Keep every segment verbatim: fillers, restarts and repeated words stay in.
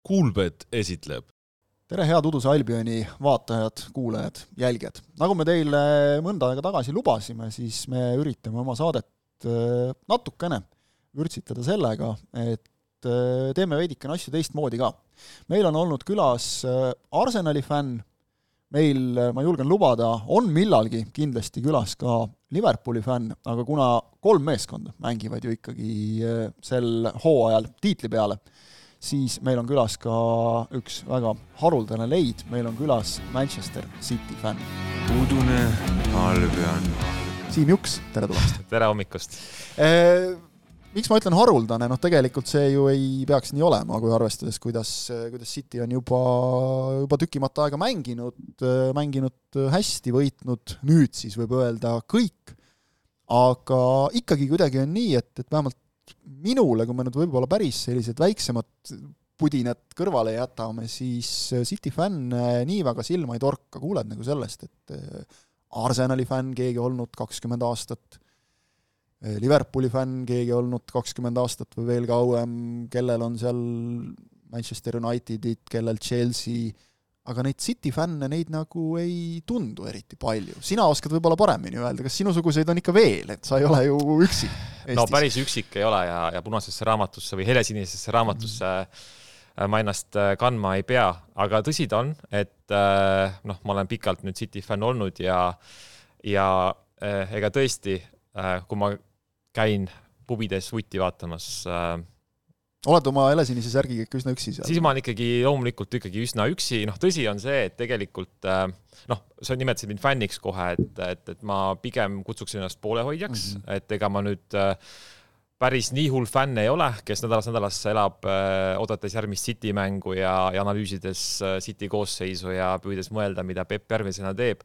Kuulbet esitleb. Tere head Uduse Albioni vaatajad, kuulajad, jälgijad. Nagu me teile mõnda aega tagasi lubasime, siis me üritame oma saadet natukene vürtsitada sellega, et teeme veidikene asju teistmoodi ka. Meil on olnud külas Arsenali fänn, meil, ma julgen lubada, on millalgi kindlasti külas ka Liverpooli fänn, aga kuna kolm meeskonda mängivad ju ikkagi sel hooajal tiitli peale, siis meil on külas ka üks väga haruldane leid, meil on külas Manchester City fänn. Udune Albion. Siim Juks, tere tulemast. Tere hommikust. Eh, miks ma ütlen haruldane? Noh, tegelikult see ju ei peaks nii olema, kui arvestades, kuidas, kuidas City on juba, juba tükimata aega mänginud, mänginud hästi, võitnud nüüd siis võib öelda kõik, aga ikkagi kuidagi on nii, et, et vähemalt minule, kui me nüüd võib-olla päris sellised väiksemad pudinad kõrvale jätame, siis City fänn nii väga silma ei torka. Kuuled nagu sellest, et Arsenali fänn keegi olnud kakskümmend aastat, Liverpooli fänn keegi olnud kakskümmend aastat või veel kauem, kellel on seal Manchester Unitedit, kellel Chelsea, aga neid City fänne, neid nagu ei tundu eriti palju. Sina oskad võib-olla paremini öelda, kas sinusuguseid on ikka veel, et sa ei ole ju üksi Eestis? No päris üksik ei ole ja, ja punasesse raamatusse või helesinisesse raamatusse mm. ma ennast kandma ei pea, aga tõsi ta on, et noh, ma olen pikalt nüüd City fänn olnud ja, ja ega tõesti, kui ma käin pubides vuti vaatamas, oled oma helesinise särgiga ikka üsna üksi seal? Siis ma olen ikkagi loomulikult ikkagi üsna üksi. Noh, tõsi on see, et tegelikult, noh, sa nimetasid mind fänniks kohe, et, et, et ma pigem kutsuks ennast poolehoidjaks, mm -hmm. et ega ma nüüd päris nii hull fänn ei ole, kes nädalas nädalasse elab odates järgmist City mängu ja, ja analüüsides City koosseisu ja püüdes mõelda, mida Pep järgmisena teeb.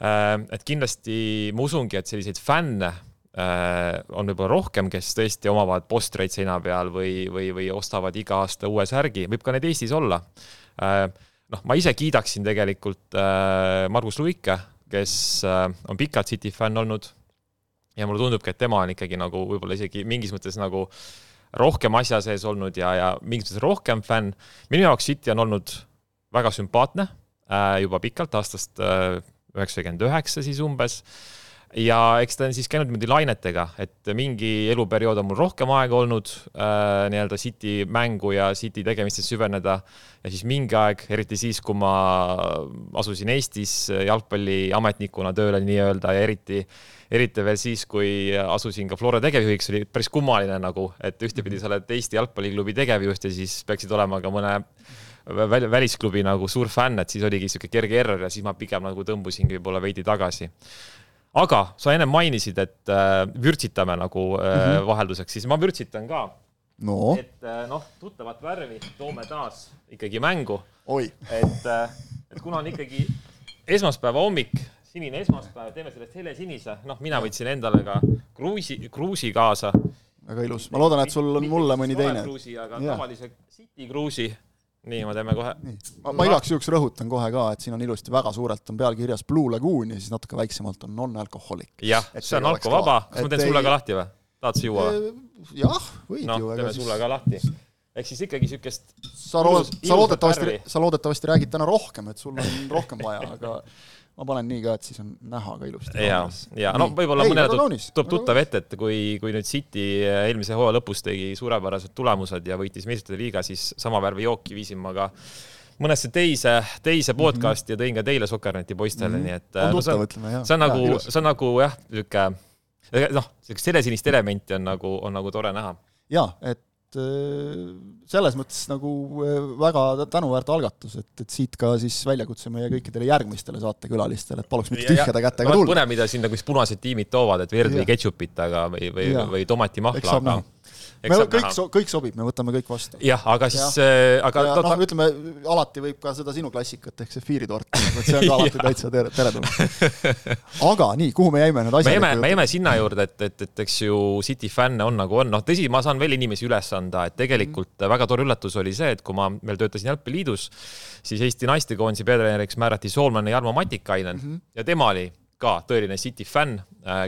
Et kindlasti ma usungi, et selliseid fänne on võib-olla rohkem, kes tõesti omavad postreid seina peal või, või, või ostavad iga aasta uue särgi. Võib ka need Eestis olla. Noh, ma ise kiidaksin tegelikult Margus Luike, kes on pikalt City fänn olnud ja mulle tundubki, et tema on ikkagi nagu võib-olla isegi mingis mõttes nagu rohkem asja sees olnud ja, ja mingis mõttes rohkem fänn. Minu jaoks City on olnud väga sümpaatne juba pikalt aastast üheksakümmend üheksa siis umbes. Ja eks ta on siis käinud niimoodi lainetega, et mingi eluperiood on mul rohkem aega olnud äh, nii-öelda City mängu ja City tegemistes süveneda ja siis mingi aeg, eriti siis, kui ma asusin Eestis jalgpalli ametnikuna tööle nii-öelda ja eriti, eriti veel siis, kui asusin ka Flora tegevjuhiks, oli päris kummaline nagu, et ühtepidi sa oled Eesti jalgpalliklubi tegevjuht ja siis peaksid olema ka mõne välisklubi nagu suur fänn, et siis oligi siuke kerge error ja siis ma pigem nagu tõmbusingi võib-olla veidi tagasi. Aga sa enne mainisid, et äh, vürtsitame nagu äh, mm-hmm. vahelduseks, siis ma vürtsitan ka. No. Et äh, noh, tuttavat värvi toome taas ikkagi mängu. Oi. Et, äh, et kuna on ikkagi esmaspäeva hommik, sinine esmaspäev, teeme sellest hele sinise. Noh, mina võtsin endale ka kruusi, kruusi kaasa. Väga ilus. Ma loodan, et sul on mulle mõni teine. Kruusi, aga ja. Tavalise City kruusi. Nii, ma teeme kohe. Ma, ma igaks juhuks rõhutan kohe ka, et siin on ilusti väga suurelt on pealkirjas Blue Lagoon ja siis natuke väiksemalt on non-alkoholik. Jah, see on alkovaba. Kas ma teen sulle ka lahti või? Tahad sa juua või? Jah, võid no, ju. No, teeme siis... sulle ka lahti. Ehk siis ikkagi sükest... Sa, ilus, sa, loodetavasti, sa loodetavasti räägid täna rohkem, et sul on rohkem vaja, aga... Ma panen nii ka, et siis on näha ka ilusti. Ja, ja no võib-olla mõnele tuleb tuttav ette, et kui, kui nüüd City eelmise hooaja lõpus tegi suurepärased tulemused ja võitis meistrite liiga, siis sama värvi jooki viisin ma ka mõnesse teise, teise podcasti mm -hmm. ja tõin ka teile Sokkerneti poistele. Mm -hmm. Nii et, on no, tuttav, ütleme, jah. See on nagu, ja, see on nagu jah, lüke, noh, sellesinist elementi on nagu, on nagu tore näha. Ja, et selles mõttes nagu väga tänuväärt algatus, et, et siit ka siis väljakutse meie kõikidele järgmistele saatekülalistele, et paluks mitte tühjade kätega tulla. Põnev, mida siin nagu punased tiimid toovad, et verd või ketšupit aga, või, või, või tomati mahla. Aga, me kõik, so, kõik sobib, me võtame kõik vastu. Jah, aga siis... Ja, aga ja, noh, ütleme, alati võib ka seda sinu klassikat, ehk see fiiritort, et see on ka alati täitsa tere, teretulnud. Aga nii, kuhu me jäime need asjad? Me jäime, me jäime sinna juurde, et, et, et eks ju City fänne on nagu on. Noh, tõsi, ma saan veel inimesi üles anda, et tegelikult mm. väga tore üllatus oli see, et kui ma veel töötasin Jalgpalliliidus, siis Eesti naistekoondise peatreeneriks määrati Soolman ja Jarmo Matikainen mm -hmm. ja tema oli ka tõeline City fänn,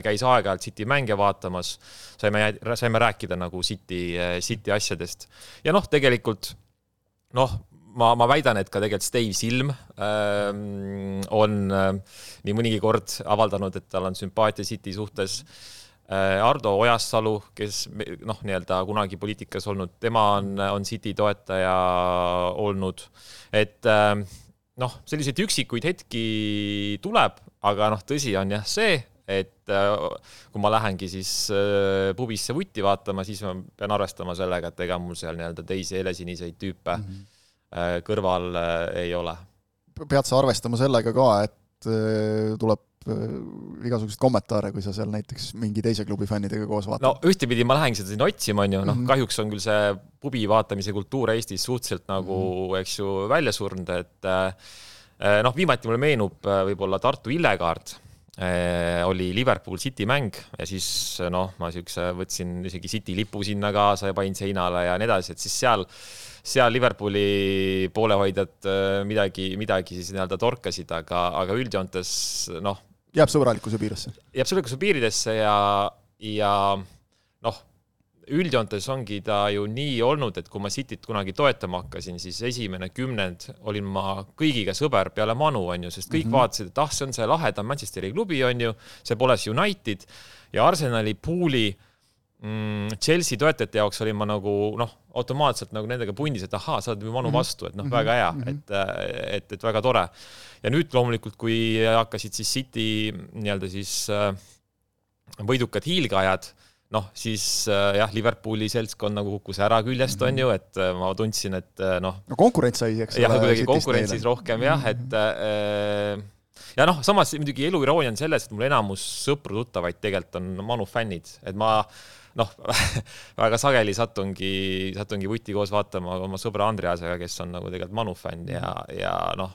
käis aeg-ajalt City mänge vaatamas, saime, saime rääkida nagu City, City asjadest. Ja noh, tegelikult noh, ma, ma väidan, et ka tegelikult Steve Silm äh, on äh, nii mõnigi kord avaldanud, et tal on sümpaatia City suhtes. Ardo Ojassalu, kes noh, nii-öelda kunagi poliitikas olnud, tema on, on City toetaja olnud, et noh, selliseid üksikuid hetki tuleb, aga noh, tõsi on jah see, et kui ma lähengi siis pubisse vutti vaatama, siis ma pean arvestama sellega, et ega mul seal nii-öelda teisi helesiniseid tüüpe mm-hmm. kõrval ei ole. Pead sa arvestama sellega ka, et tuleb igasugused kommentaare, kui sa seal näiteks mingi teise klubi fännidega koos vaatad? No ühtepidi ma lähengi seda siin otsima, on ju, noh, mm-hmm. kahjuks on küll see pubi vaatamise kultuur Eestis suhteliselt nagu, mm-hmm. eks ju, välja surnud, et noh, viimati mulle meenub võib-olla Tartu Illekaard, oli Liverpool City mäng ja siis noh, ma siukse võtsin isegi City lipu sinna kaasa ja panin seinale ja nii edasi, et siis seal seal Liverpooli poolehoidjad midagi, midagi siis nii-öelda torkasid, aga, aga üldjoontes noh, jääb sõbralikkuse piiresse. Jääb sõbralikkuse piiridesse ja, ja noh, üldjoontes ongi ta ju nii olnud, et kui ma Cityt kunagi toetama hakkasin, siis esimene kümnend olin ma kõigiga sõber peale Manu, on ju, sest kõik mm-hmm. vaatasid, et ah, see on see lahedam Manchesteri klubi, on ju, see pole United ja Arsenali pooli Chelsea toetajate jaoks olin ma nagu noh, automaatselt nagu nendega pundis, et ahaa, sa oled Manu vastu, et noh, väga hea, et, et, et väga tore. Ja nüüd loomulikult, kui hakkasid siis City nii-öelda siis võidukad hiilgajad, noh, siis jah, Liverpooli seltskond nagu kukkus ära küljest, on ju, et ma tundsin, et noh... No konkurents sai, eks jah, kuidagi konkurentsis rohkem, jah, et... Ja noh, samas muidugi elu iroonia on selles, et mul enamus sõpru tuttavaid tegelikult on Manu fännid, et ma noh, väga sageli satungi, satungi vutti koos vaatama oma sõbra Andreasega, kes on nagu tegelikult Manu fänn ja, ja noh,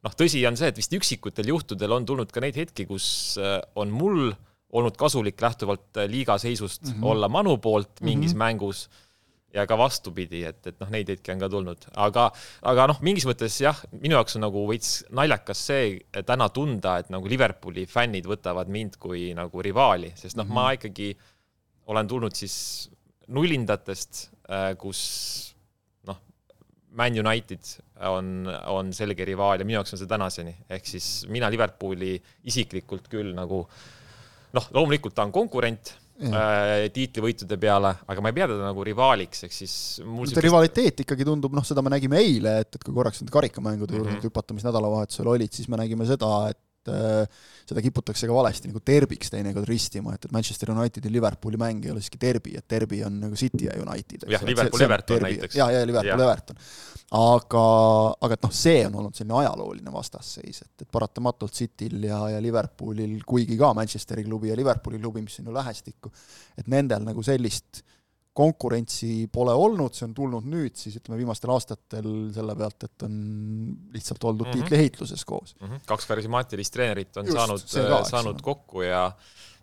noh, tõsi on see, et vist üksikutel juhtudel on tulnud ka neid hetki, kus on mul olnud kasulik lähtuvalt liiga seisust mm-hmm. olla Manu poolt mingis mm-hmm. mängus ja ka vastupidi, et, et noh, neid hetki on ka tulnud. Aga, aga noh, mingis mõttes jah, minu jaoks on nagu veits naljakas see täna tunda, et nagu Liverpooli fännid võtavad mind kui nagu rivaali, sest noh, mm-hmm. ma ikkagi olen tulnud siis nullindatest, kus noh, Man United on, on selge rivaal ja minu jaoks on see tänaseni. Ehk siis mina Liverpooli isiklikult küll nagu, noh, loomulikult ta on konkurent äh, tiitlivõitude peale, aga ma ei pea teda nagu rivaaliks, ehk siis mul see rivaliteet ikkagi tundub, noh, seda me nägime eile, et, et kui korraks need karikamängude juurde mm-hmm. hüpata, mis nädalavahetusel olid, siis me nägime seda, et seda kiputakse ka valesti nagu terbiks teinekord ristima, et, et Manchester United ja Liverpooli mäng ei ole siiski derbi, et derbi on nagu City ja United. Jah, Liverpool-Everton näiteks. Ja, ja Liverpool-Everton. Aga, aga et noh, see on olnud selline ajalooline vastasseis, et, et paratamatult Cityl ja, ja Liverpoolil, kuigi ka Manchesteri klubi ja Liverpooli klubi, mis on ju lähestikku, et nendel nagu sellist konkurentsi pole olnud, see on tulnud nüüd siis ütleme viimastel aastatel selle pealt, et on lihtsalt oldud mm-hmm. tiitliheitluses koos. Mm-hmm. Kaks karismaatilist treenerit on Just, saanud, ka, saanud kokku ja,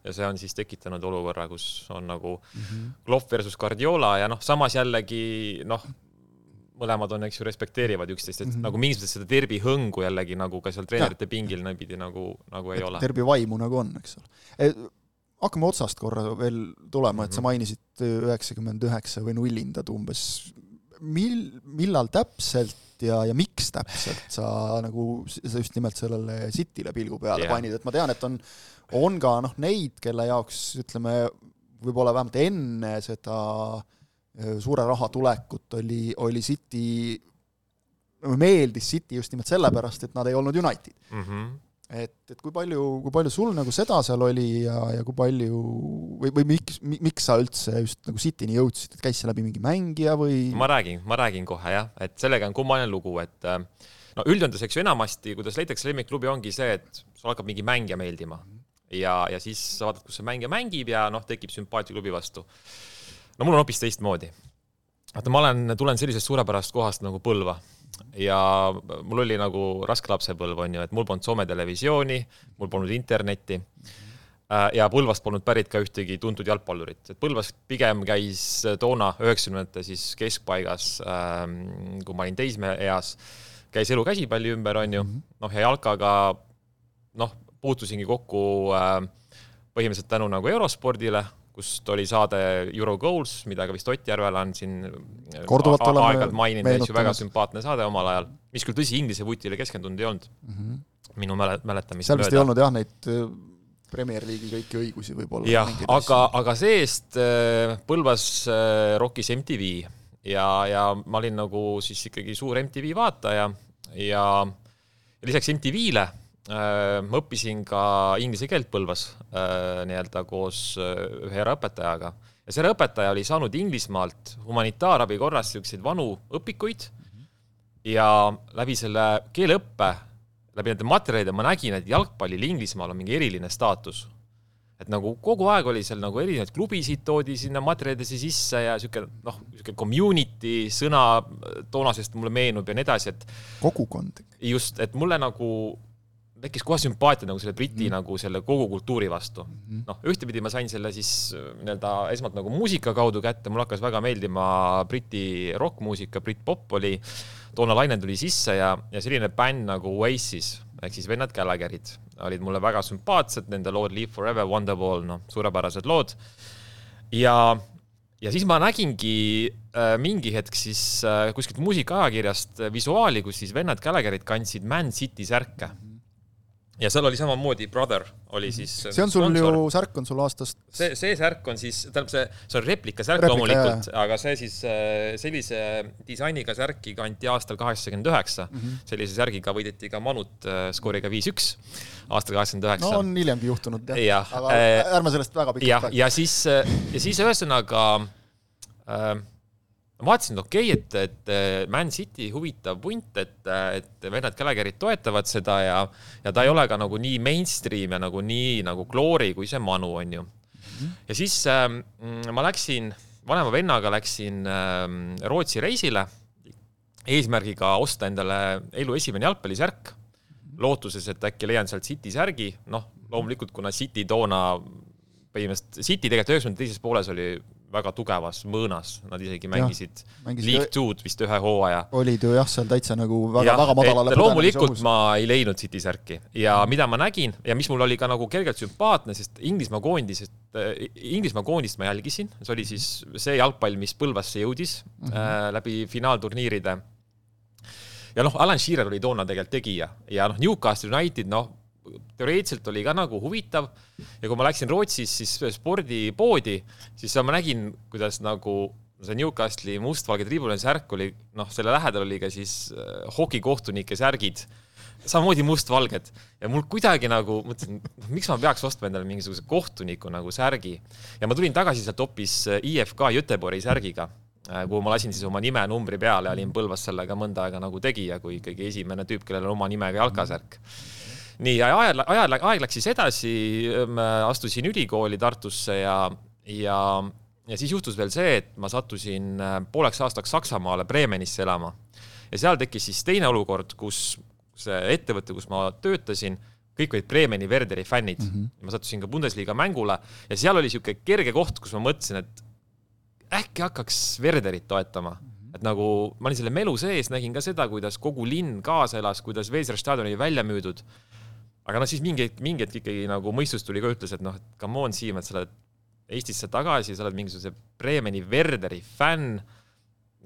ja see on siis tekitanud olukorra, kus on nagu mm-hmm. Klopp versus Guardiola ja noh, samas jällegi noh, mõlemad on, eks ju, respekteerivad üksteist, et mm-hmm. nagu mingis mõttes seda derbi hõngu jällegi nagu ka seal treenerite ja. Pingil näpidi nagu, nagu ei et ole. Derbi vaimu nagu on, eks ole. E- Hakkame otsast korra veel tulema, et sa mainisid üheksakümmend üheksa või nullindad umbes. Mil, millal täpselt ja, ja miks täpselt sa, nagu, sa just nimelt sellele Cityle pilgu peale yeah. panid, et ma tean, et on, on ka noh, neid, kelle jaoks ütleme, võib-olla vähemalt enne seda suure raha tulekut oli, oli City, meeldis City just nimelt sellepärast, et nad ei olnud United. Mhm. Et, et kui palju, kui palju sul nagu seda seal oli ja, ja kui palju või, või miks, miks sa üldse just nagu Cityni jõudsid, et käis see läbi mingi mängija või? Ma räägin, ma räägin kohe jah, et sellega on kummaline lugu, et no üldjöndes, eks ju enamasti, kuidas leitakse lemmikklubi ongi see, et sul hakkab mingi mängija meeldima ja, ja siis sa vaatad, kus see mängija mängib ja noh, tekib sümpaatia klubi vastu. No mul on hoopis teistmoodi. Et ma olen, tulen sellisest suurepärast kohast nagu Põlva ja mul oli nagu raske lapsepõlv, on ju, et mul polnud Soome televisiooni, mul polnud internetti ja Põlvast polnud pärit ka ühtegi tuntud jalgpallurit. Et Põlvas pigem käis toona üheksakümnendate siis keskpaigas, kui ma olin teisme eas, käis elu käsipalli ümber, on ju, noh ja jalkaga noh, puutusingi kokku põhimõtteliselt tänu nagu Eurospordile, kust oli saade Euro Goals, mida ka vist Ott Järvel on siin Korduvalt oleme aeg-ajalt maininud, väga sümpaatne saade omal ajal, mis küll tõsi inglise vutile keskendunud ei olnud mm -hmm. minu mäletamist seal vist ei olnud jah neid Premier League'i kõiki õigusi võib-olla. Jah, aga, aga seest Põlvas rockis M T V ja, ja ma olin nagu siis ikkagi suur M T V vaataja ja, ja lisaks M T V-le ma õppisin ka inglise keelt Põlvas nii-öelda koos ühe õpetajaga. Ja see õpetaja oli saanud Inglismaalt humanitaarabi korras selliseid vanu õpikuid ja läbi selle keeleõppe läbi nende materjalide ma nägin, et jalgpallil Inglismaal on mingi eriline staatus. Et nagu kogu aeg oli seal nagu erinevaid klubisid toodi sinna materjalidesse sisse ja siuke, noh, siuke community sõna toonasest mulle meenub ja nii edasi, et kogukond. Just, et mulle nagu tekkis kohe sümpaatia nagu selle briti mm. nagu selle kogu kultuuri vastu. Mm. Noh, ühtepidi ma sain selle siis nii-öelda esmalt nagu muusika kaudu kätte, mul hakkas väga meeldima briti rockmuusika, brit pop oli toona laine tuli sisse ja, ja selline bänd nagu Oasis, ehk siis vennad Gallagherid, olid mulle väga sümpaatsed, nende lood Live Forever, Wonderwall, no, suurepärased lood. Ja, ja siis ma nägingi äh, mingi hetk siis äh, kuskilt muusikaajakirjast visuaali, kus siis vennad Gallagherid kandsid Man City särke. Ja seal oli samamoodi Brother, oli siis see on sul sponsor. Ju, särk on sul aastast see, see särk on siis, tähendab see, see on replika särk loomulikult, aga see siis sellise disainiga särki kanti aastal kaheksakümmend üheksa mm -hmm. sellise särgiga võideti ka Manut skooriga viis üks aastal kaheksakümmend üheksa. No on hiljemgi juhtunud jah, ja, aga ärme sellest väga pikalt ja, ja siis, ja siis ühesõnaga äh, ma vaatasin, et okei, et, et Man City huvitav punt, et, et vennad Gallagherid toetavad seda ja, ja ta ei ole ka nagu nii mainstream ja nagu nii nagu glory kui see Manu on ju. Mm-hmm. Ja siis äh, ma läksin, vanema vennaga läksin äh, Rootsi reisile eesmärgiga osta endale elu esimene jalgpallisärk, lootuses, et äkki leian sealt City särgi, noh, loomulikult kuna City toona põhimõtteliselt, City tegelikult üheksakümnendate teises pooles oli väga tugevas mõõnas, nad isegi mängisid League two'd vist ühe hooaja. Olid ju jah, seal täitsa nagu väga, ja, väga madalale. Loomulikult ma ei leidnud City särki ja mm. mida ma nägin ja mis mul oli ka nagu kergelt sümpaatne, sest Inglismaa koondis, Inglismaa koondist ma jälgisin, see oli siis see jalgpall, mis Põlvasse jõudis mm -hmm. äh, läbi finaalturniiride. Ja noh, Alan Shearer oli toona tegelikult tegija ja noh, Newcastle United, noh, teoreetselt oli ka nagu huvitav ja kui ma läksin Rootsis siis spordipoodi, siis ma nägin, kuidas nagu see Newcastle'i mustvalge tribuline särk oli, noh, selle lähedal oli ka siis hokikohtunike särgid, samamoodi mustvalged ja mul kuidagi nagu mõtlesin, miks ma peaks ostma endale mingisuguse kohtuniku nagu särgi ja ma tulin tagasi sealt hoopis I F K Göteborgi särgiga, kuhu ma lasin siis oma nime ja numbri peale ja olin Põlvas sellega mõnda aega nagu tegija, kui ikkagi esimene tüüp, kellel on oma nimega jalkasärk. Nii, ja aeg, aeg, aeg läks siis edasi, astusin ülikooli Tartusse ja, ja, ja siis juhtus veel see, et ma sattusin pooleks aastaks Saksamaale Bremenisse elama. Ja seal tekkis siis teine olukord, kus see ettevõte, kus ma töötasin, kõik olid Bremeni Werderi fännid. Mm -hmm. Ma sattusin ka Bundesliga mängule ja seal oli siuke kerge koht, kus ma mõtlesin, et äkki hakkaks Werderit toetama. Mm -hmm. Et nagu ma olin selle melu sees, nägin ka seda, kuidas kogu linn kaasa elas, kuidas Weserstadion oli välja müüdud. Aga no siis mingi, mingi hetk ikkagi nagu mõistus tuli ka ütles, et noh, et come on Siim, et sa oled Eestisse tagasi, sa oled mingisuguse Bremeni Werderi fänn.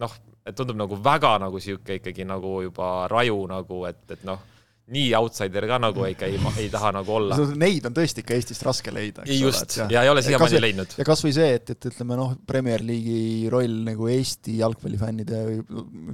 Noh, et tundub nagu väga nagu siuke ikkagi nagu juba raju nagu, et, et noh, nii outsider ka nagu ei, ei, ei taha nagu olla. Neid on tõesti ikka Eestist raske leida. Eks Just, ole, ja ei ole siiamaani leidnud. Ja kas või see, et, et ütleme noh, Premier League'i roll nagu Eesti jalgpallifännide või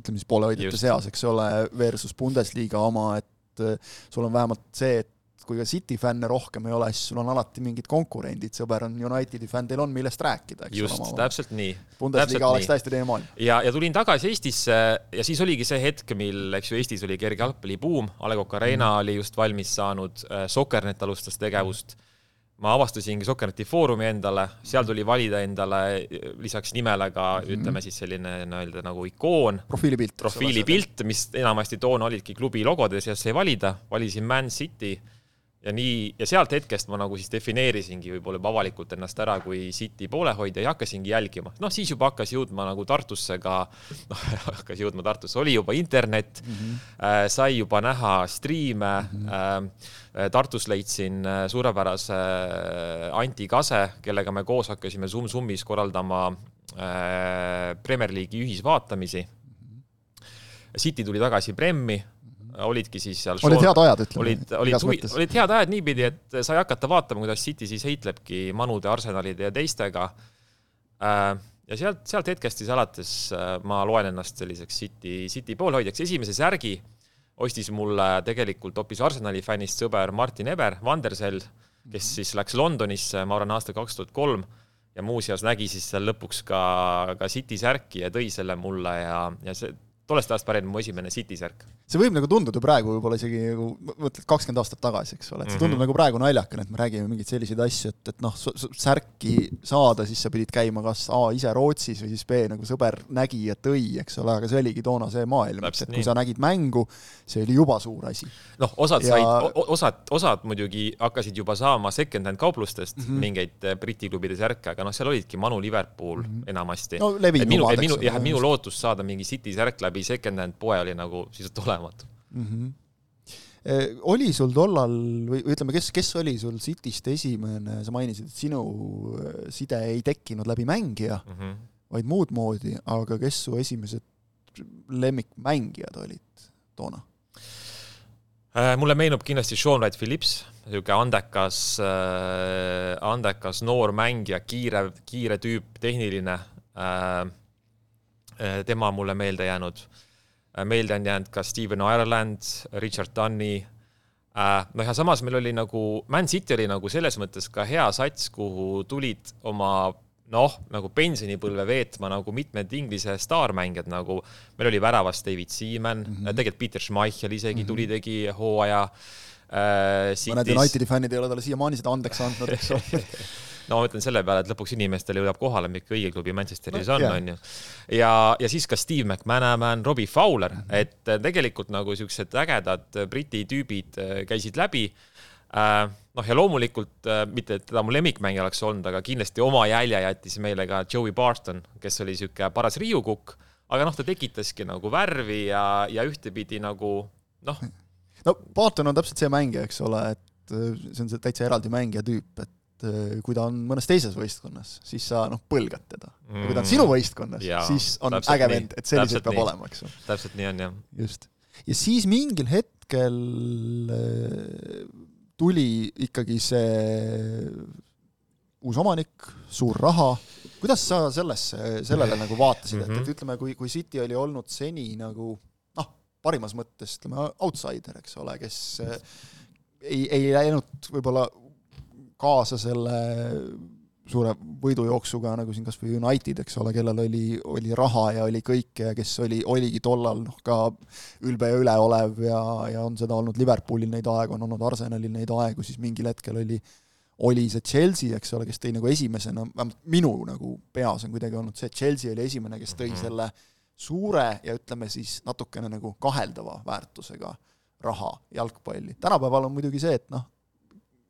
ütleme siis poolehoidjate seas, eks ole, versus Bundesliga oma, et sul on vähemalt see, et kui ka City fänne rohkem ei ole, siis sul on alati mingid konkurendid, sõber on Unitedi fänn, teil on millest rääkida. Eks Just, ole, täpselt nii. Bundesliga oleks täiesti teine maailm. Ja, ja tulin tagasi Eestisse ja siis oligi see hetk, mil eks ju Eestis oli kerge jalgpallibuum, A Le Coq Arena mm. oli just valmis saanud, Soccernet alustas tegevust. Ma avastasingi Soccerneti foorumi endale, seal tuli valida endale lisaks nimele ka, mm. ütleme siis selline no, nagu ikoon. Profiilipilt. Profiilipilt, mis enamasti toona olidki klubi logode seas sai valida. Valisin Man City. ja nii, ja sealt hetkest ma nagu siis defineerisingi võib-olla juba avalikult ennast ära kui City poolehoidja ja hakkasingi jälgima. Noh, siis juba hakkas jõudma nagu Tartusse ka, noh, hakkas jõudma Tartusse, oli juba internet, mm-hmm. äh, sai juba näha striime, mm-hmm. äh, Tartus leidsin suurepärase Anti Kase, kellega me koos hakkasime Zoom Zoomis korraldama äh, Premier League'i ühisvaatamisi. Mm-hmm. City tuli tagasi Premmi, olidki siis seal olid head ajad, ütleme. Olid, olid, huvi, olid head ajad niipidi, et sai hakata vaatama, kuidas City siis heitlebki Manude, Arsenalide ja teistega. Ja sealt, sealt hetkest siis alates ma loen ennast selliseks City, City poolhoidjaks. Esimese särgi ostis mulle tegelikult hoopis Arsenali fännist sõber Martin Eber, Vandersel, kes siis läks Londonisse, ma arvan, aasta kaks tuhat kolm ja muuseas nägi siis seal lõpuks ka, ka City särki ja tõi selle mulle ja, ja see tollest ajast pärin mu esimene City särk. See võib nagu tunduda praegu võib-olla isegi nagu, mõtled kakskümmend aastat tagasi, eks ole, et see tundub mm-hmm. nagu praegu naljakene, et me räägime mingid selliseid asju, et, et noh, särki saada, siis sa pidid käima kas A ise Rootsis või siis B nagu sõber nägi ja tõi, eks ole, aga see oligi toona see maailm, et kui sa nägid mängu, see oli juba suur asi. Noh, osad, ja... said, osad, osad muidugi hakkasid juba saama second hand kauplustest mm-hmm. mingeid Briti klubide särke, aga noh, seal olidki Manu Liverpool mm-hmm. enamasti. No, minu, omad, minu, jah, minu lootus saada mingi City särk läbi second hand poe oli nagu siis olematu. Mm-hmm. Eh, oli sul tollal, või ütleme, kes, kes oli sul Cityst esimene, sa mainisid, et sinu side ei tekkinud läbi mängija, mm-hmm. vaid muud moodi, aga kes su esimesed lemmikmängijad olid toona? Äh, mulle meenub kindlasti Sean Wright Phillips, selline andekas, äh, andekas noor mängija, kiire, kiire tüüp, tehniline. Äh, tema mulle meelde jäänud. Meelde on jäänud ka Steven Ireland, Richard Dunny. No ja samas meil oli nagu, Man City oli nagu selles mõttes ka hea sats, kuhu tulid oma noh, nagu pensionipõlve veetma nagu mitmed Inglise staarmängijad, nagu meil oli väravas David Seaman, mm-hmm. tegelikult Peter Schmeichel isegi mm-hmm. tuli tegi hooaja. Äh, Mõned Unitedi fännid ei ole talle siiamaani seda andeks andnud, eks ole. No ma ütlen selle peale, et lõpuks inimestele jõudab kohale, mikk õige klubi Manchesteris on, on ju. Ja, ja siis ka Steve McManaman, Robbie Fowler, mm-hmm. et tegelikult nagu sellised ägedad briti tüübid käisid läbi. Noh ja loomulikult, mitte et teda mu lemmikmängija oleks olnud, aga kindlasti oma jälje jättis meile ka Joey Barton, kes oli selline paras riiukukk, aga noh, ta tekitaski nagu värvi ja, ja ühtepidi nagu noh. No Barton on täpselt see mängija, eks ole, et see on see täitsa eraldi mängija tüüp, et kui ta on mõnes teises võistkonnas, siis sa noh, põlgad teda. Ja kui ta on sinu võistkonnas, ja, siis on äge vend, et selliselt peab nii. Olema, eks. Täpselt nii on, jah. Just. Ja siis mingil hetkel tuli ikkagi see uus omanik, suur raha. Kuidas sa sellesse, sellele nagu vaatasid, et, et ütleme, kui, kui City oli olnud seni nagu noh, parimas mõttes, ütleme, outsider, eks ole, kes ei, ei läinud võib-olla kaasa selle suure võidujooksuga, nagu siin kas või United, eks ole, kellel oli, oli raha ja oli kõike ja kes oli, oligi tollal noh, ka ülbe ja üleolev ja, ja on seda olnud Liverpoolil neid aegu, on olnud Arsenalil neid aegu, siis mingil hetkel oli, oli see Chelsea, eks ole, kes tõi nagu esimesena, minu nagu peas on kuidagi olnud see, et Chelsea oli esimene, kes tõi selle suure ja ütleme siis natukene nagu kaheldava väärtusega raha jalgpalli. Tänapäeval on muidugi see, et noh,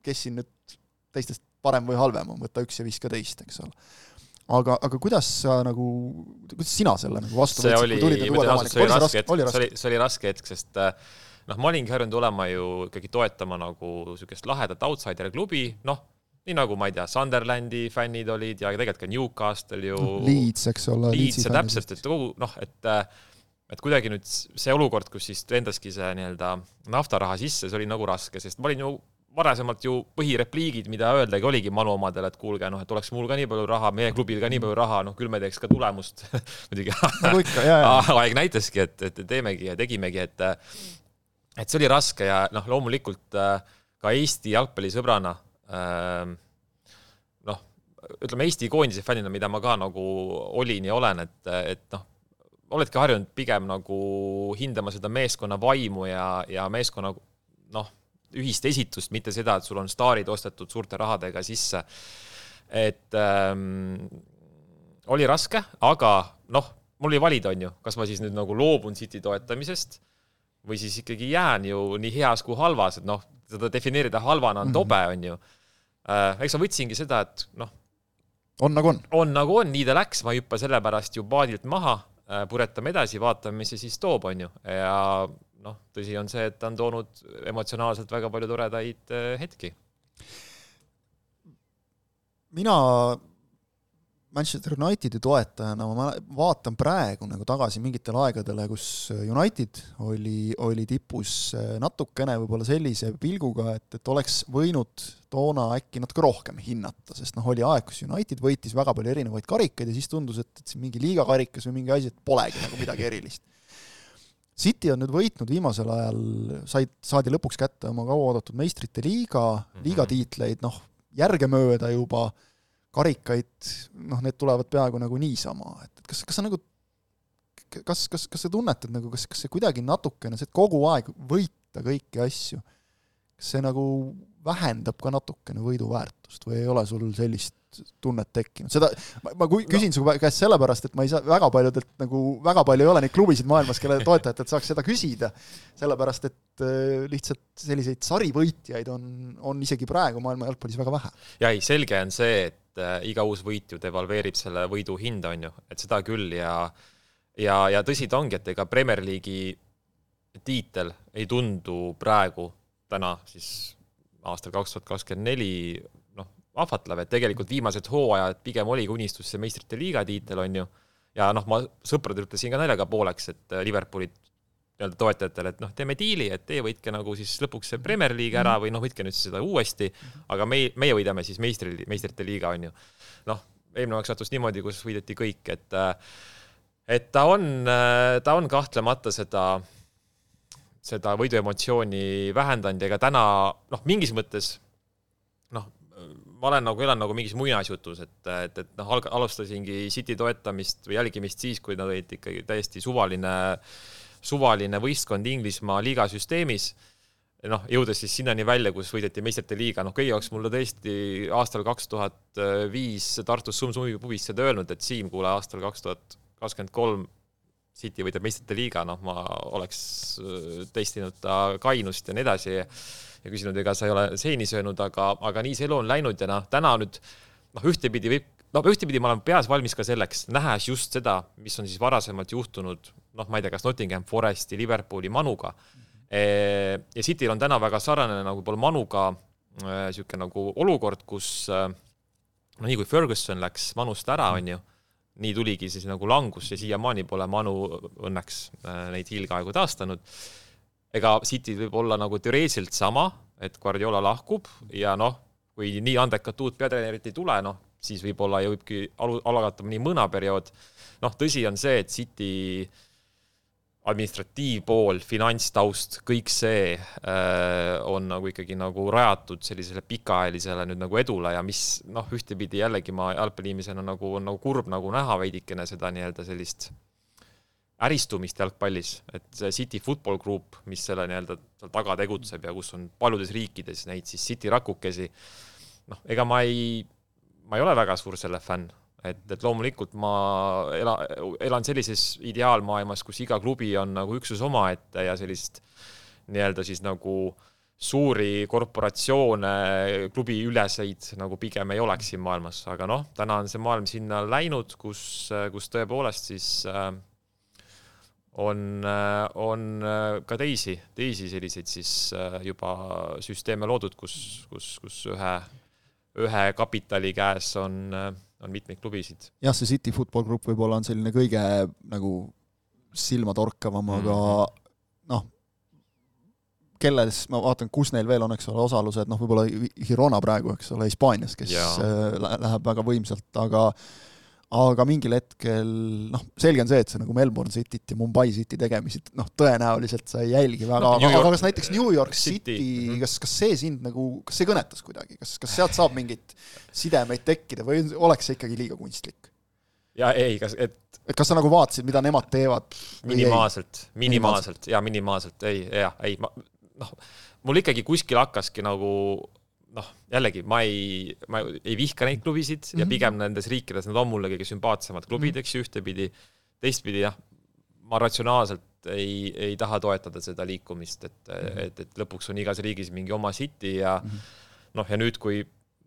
kes siin nüüd teistest parem või halvem on, võtta üks ja viska teist, eks ole. Aga, aga kuidas sa nagu, kuidas sina selle nagu vastu see võtsid, oli, kui tulid need uued see, raske, oli raske? See oli raske hetk, sest noh, ma olingi harjunud olema ju ikkagi toetama nagu sellist lahedat outsider klubi, noh, nii nagu ma ei tea, Sunderlandi fännid olid ja tegelikult ka Newcastle ju Leeds, eks ole. Leeds ja täpselt, et kogu, noh, et et kuidagi nüüd see olukord, kus siis endaski see nii-öelda naftaraha sisse, see oli nagu raske, sest ma olin ju varasemalt ju põhirepliigid, mida öeldagi, oligi Manu omadel, et kuulge, noh, et oleks mul ka nii palju raha, meie klubil ka nii palju raha, noh, küll me teeks ka tulemust. nagu ikka, jah, jah. Aeg näitaski, et, et teemegi ja tegimegi, et, et see oli raske ja noh, loomulikult ka Eesti jalgpallisõbrana, noh, ütleme Eesti koondise fännina, mida ma ka nagu olin ja olen, et, et noh, oledki harjunud pigem nagu hindama seda meeskonna vaimu ja, ja meeskonna, noh, ühist esitust, mitte seda, et sul on staarid ostetud suurte rahadega sisse. Et ähm, oli raske, aga noh, mul oli valida, on ju, kas ma siis nüüd nagu loobun City toetamisest või siis ikkagi jään ju nii heas kui halvas, et noh, seda defineerida halvana on tobe, on ju. Eks ma võtsingi seda, et noh, on nagu on. On nagu on, nii ta läks, ma hüppa sellepärast ju paadilt maha, puretame edasi, vaatame, mis see siis toob, on ju. Ja noh, tõsi on see, et ta on toonud emotsionaalselt väga palju toredaid hetki. Mina Manchester Unitedi toetajana ma vaatan praegu nagu tagasi mingitel aegadele, kus United oli, oli tipus natukene võib-olla sellise pilguga, et, et oleks võinud toona äkki natuke rohkem hinnata, sest noh, oli aeg, kus United võitis väga palju erinevaid karikaid ja siis tundus, et, et mingi liigakarikas või mingi asi, et polegi nagu midagi erilist. City on nüüd võitnud viimasel ajal, said, saadi lõpuks kätte oma kauaoodatud meistrite liiga, liigatiitleid, noh, järgemööda juba, karikaid, noh, need tulevad peaaegu nagu niisama, et kas, kas sa nagu kas, kas, kas sa tunnetad nagu, kas, kas see kuidagi natukene, see kogu aeg võita kõiki asju, kas see nagu vähendab ka natukene võiduväärtust või ei ole sul sellist tunnet tekkinud? Seda, ma, ma küsin no. su käest sellepärast, et ma ei saa väga paljudelt nagu, väga palju ei ole neid klubisid maailmas, kelle toetajatelt saaks seda küsida, sellepärast, et lihtsalt selliseid sarivõitjaid on, on isegi praegu maailma jalgpallis väga vähe. Ja ei, selge on see, et iga uus võit ju devalveerib selle võidu hinda, on ju, et seda küll ja, ja, ja tõsi ta ongi, et ega Premier League'i tiitel ei tundu praegu täna siis aastal kaks tuhat kakskümmend neli noh, ahvatlev, et tegelikult viimased hooajad pigem oli unistus see meistrite liiga tiitel, on ju, ja noh, ma sõpradel ütlesin ka naljaga pooleks, et Liverpoolit nii-öelda toetajatele, et noh, teeme diili, et te võitke nagu siis lõpuks see Premier League ära või noh, võitke nüüd seda uuesti, aga meie, meie võidame siis meistri, meistrite liiga, on ju. Noh, eelmine aeg sattus niimoodi, kus võideti kõik, et, et ta, on, ta on kahtlemata seda, seda võiduemotsiooni vähendanud, ega täna noh, mingis mõttes noh, ma olen nagu elan nagu mingis muinasjutus, et, et, et noh, alustasingi City toetamist või jälgimist siis, kui nad olid ikkagi täiesti suvaline suvaline võistkond Inglismaa liigasüsteemis, noh, jõudes siis sinnani välja, kus võideti meistrite liiga, noh, kõige jaoks mulle tõesti aastal kaks tuhat viis Tartus Sum-Sumi pubis seda öelnud, et Siim, kuule, aastal kaks tuhat kakskümmend kolm City võidab meistrite liiga, noh, ma oleks testinud ta kainust ja nii edasi ja küsinud, ega sa ei ole seini söönud, aga, aga nii see elu on läinud ja noh, täna nüüd, noh, ühtepidi võib No, ühtepidi ma olen peas valmis ka selleks, nähes just seda, mis on siis varasemalt juhtunud, noh, ma ei tea, kas Nottingham Foresti, Liverpooli Manuga. Ja Cityl on täna väga sarnane nagu pool Manuga siuke nagu olukord, kus no nii kui Ferguson läks Manust ära, on ju, nii tuligi siis nagu langus ja siiamaani pole Manu õnneks neid hiilgaegu taastanud. Ega City võib olla nagu teoreetiliselt sama, et Guardiola lahkub ja noh, kui nii andekat uut peatreenerit ei tule, noh, siis võib-olla ja võibki alagatama nii mõna periood. Noh, tõsi on see, et City administratiivpool, finantstaust, kõik see äh, on nagu ikkagi nagu rajatud sellisele pikaajalisele nüüd nagu edule ja mis noh, ühtepidi jällegi ma jalgpalliimisena nagu on nagu kurb nagu näha veidikene seda nii-öelda sellist äristumist jalgpallis, et see City Football Group, mis selle nii-öelda taga tegutseb ja kus on paljudes riikides neid siis City rakukesi, noh, ega ma ei ma ei ole väga suur selle fänn, et, et loomulikult ma ela, elan sellises ideaalmaailmas, kus iga klubi on nagu üksus oma ette ja sellist nii-öelda siis nagu suuri korporatsioone, klubi üleseid nagu pigem ei oleks siin maailmas, aga noh, täna on see maailm sinna läinud, kus, kus tõepoolest siis on, on ka teisi, teisi selliseid siis juba süsteeme loodud, kus, kus, kus ühe ühe kapitali käes on, on mitmeid klubisid. Jah, see City Football Group võib-olla on selline kõige nagu silmatorkavam, aga mm. noh, kelles, ma vaatan, kus neil veel on, eks ole, osalused, noh, võib-olla Girona praegu, eks ole, Hispaanias, kes ja. läheb väga võimsalt, aga aga mingil hetkel, noh, selge on see, et see nagu Melbourne Cityt ja Mumbai City tegemisid, noh, tõenäoliselt sa ei jälgi väga, no, aga, aga kas näiteks New York City, City kas, kas see sind nagu, kas see kõnetas kuidagi, kas, kas sealt saab mingit sidemeid tekkida või oleks see ikkagi liiga kunstlik? Ja ei, kas, et... et kas sa nagu vaatasid, mida nemad teevad? Minimaalselt, minimaalselt, ja minimaalselt, ei, ja, ei, ma, noh, mul ikkagi kuskil hakkaski nagu... noh, jällegi, ma ei, ma ei vihka neid klubisid mm-hmm. ja pigem nendes riikides nad on mulle kõige sümpaatsemad klubid, eks ühtepidi, teistpidi, jah, ma ratsionaalselt ei, ei taha toetada seda liikumist, et, et, et lõpuks on igas riigis mingi oma City ja mm-hmm. noh, ja nüüd, kui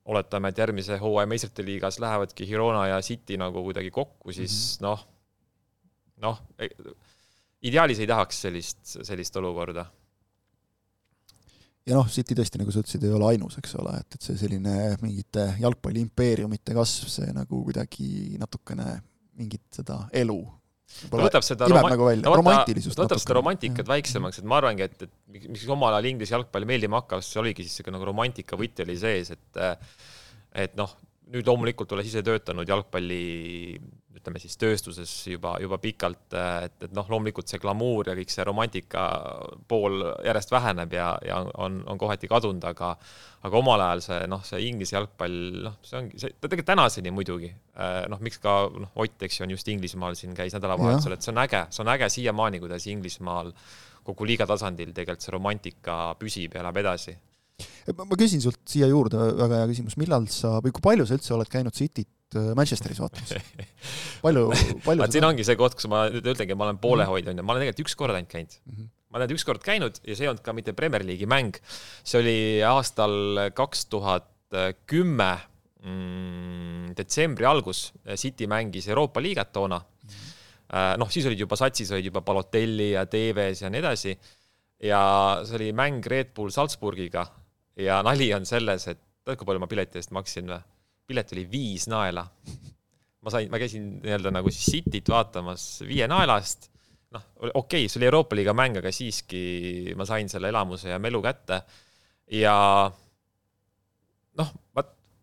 oletame, et järgmise hooaja meistrite liigas lähevadki Girona ja City nagu kuidagi kokku, siis mm-hmm. noh, noh, ideaalis ei tahaks sellist, sellist olukorda. Ja noh, City tõesti, nagu sa ütlesid, ei ole ainus, eks ole, et, et see selline mingite jalgpalli impeeriumite kasv, see nagu kuidagi natukene mingit seda elu võtab seda, roma- nagu välja, no, romantilisust võtab seda romantikat väiksemaks, et ma arvangi, et, et miks omal ajal Inglise jalgpalli meeldima hakkas, see oligi siis nagu romantika võti oli sees, et, et noh, nüüd loomulikult olles ise töötanud jalgpalli ütleme siis tööstuses juba, juba pikalt, et, et noh, loomulikult see glamuur ja kõik see romantika pool järjest väheneb ja, ja on, on kohati kadunud, aga, aga omal ajal see, noh, see Inglise jalgpall, noh, see ongi, see, ta tegelikult tänaseni muidugi, noh, miks ka noh, Ott, eks ju, on just Inglismaal siin käis nädalavahetusel, et see on äge, see on äge siiamaani, kuidas Inglismaal kogu liiga tasandil tegelikult see romantika püsib ja läheb edasi. Ma küsin sult siia juurde väga hea küsimus, millal sa, või kui palju sa üldse oled käinud Cityt Manchesteris vaatamas? Palju, palju siin ongi see koht, kus ma nüüd ütlengi, et ma olen poolehoidja, ma olen tegelikult üks kord ainult käinud. Mm-hmm. Ma olen üks kord käinud ja see on ka mitte Premier League'i mäng. See oli aastal kaks tuhat kümme mm, detsembri algus. City mängis Euroopa liigat toona. Mm-hmm. Noh, siis olid juba satsis, olid juba Balotelli ja Tevez ja nii edasi. Ja see oli mäng Red Bull Salzburgiga ja nali on selles, et kui palju ma pileti eest maksin või? Pilet oli viis naela. Ma, sain, ma käisin nii-öelda nagu siis Cityt vaatamas viie naelast. Noh, okei, okay, see oli Euroopa liiga mäng, aga siiski ma sain selle elamuse ja melu kätte. Ja noh,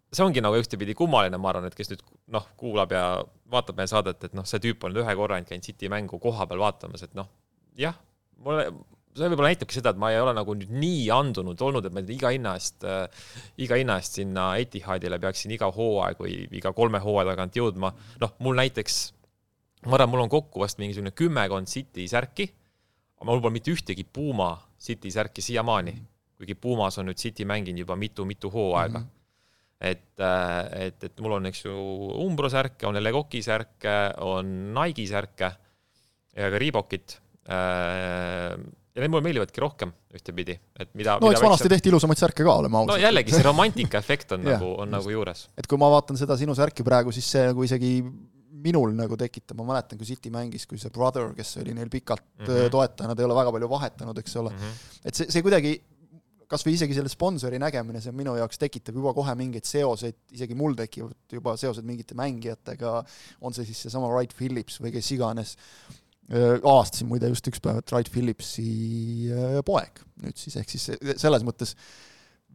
see ongi nagu ühtepidi kummaline, ma arvan, et kes nüüd noh, kuulab ja vaatab meie saadet, et noh, see tüüp on ühe korra käinud City mängu koha peal vaatamas, et noh, jah, mulle see võib-olla näitabki seda, et ma ei ole nagu nüüd nii andunud olnud, et ma iga hinna eest, iga hinna eest sinna Etihadile peaksin iga hooaeg või iga kolme hooaja tagant jõudma. Noh, mul näiteks, ma arvan, mul on kokku vast mingisugune kümmekond City särki, aga mul pole mitte ühtegi Puma City särki siiamaani, kuigi Pumas on nüüd City mänginud juba mitu-mitu hooaega. Mm-hmm. Et, et, et mul on eks ju Umbro särke, on Legoki särke, on Nike särke ja ka Reebokit. Ja need mulle meeldivadki rohkem ühtepidi. Et mida, no, mida eks vanasti tehti ilusamaid särke ka, olema ausalt. No jällegi, see romantika efekt on, nagu, on nagu juures. Et kui ma vaatan seda sinu särki praegu, siis see nagu isegi minul nagu tekitab. Ma mäletan, kui City mängis, kui see Brother, kes oli neil pikalt mm-hmm. toetaja, nad ei ole väga palju vahetanud, eks ole. Mm-hmm. Et see, see kuidagi, kas või isegi selle sponsori nägemine, see minu jaoks tekitab juba kohe mingeid seoseid, isegi mul tekivad juba seosed mingite mängijatega, on see siis see sama Wright Phillips või kes iganes. Aastasin muide just üks päev, et Wright Phillipsi poeg nüüd siis, ehk siis selles mõttes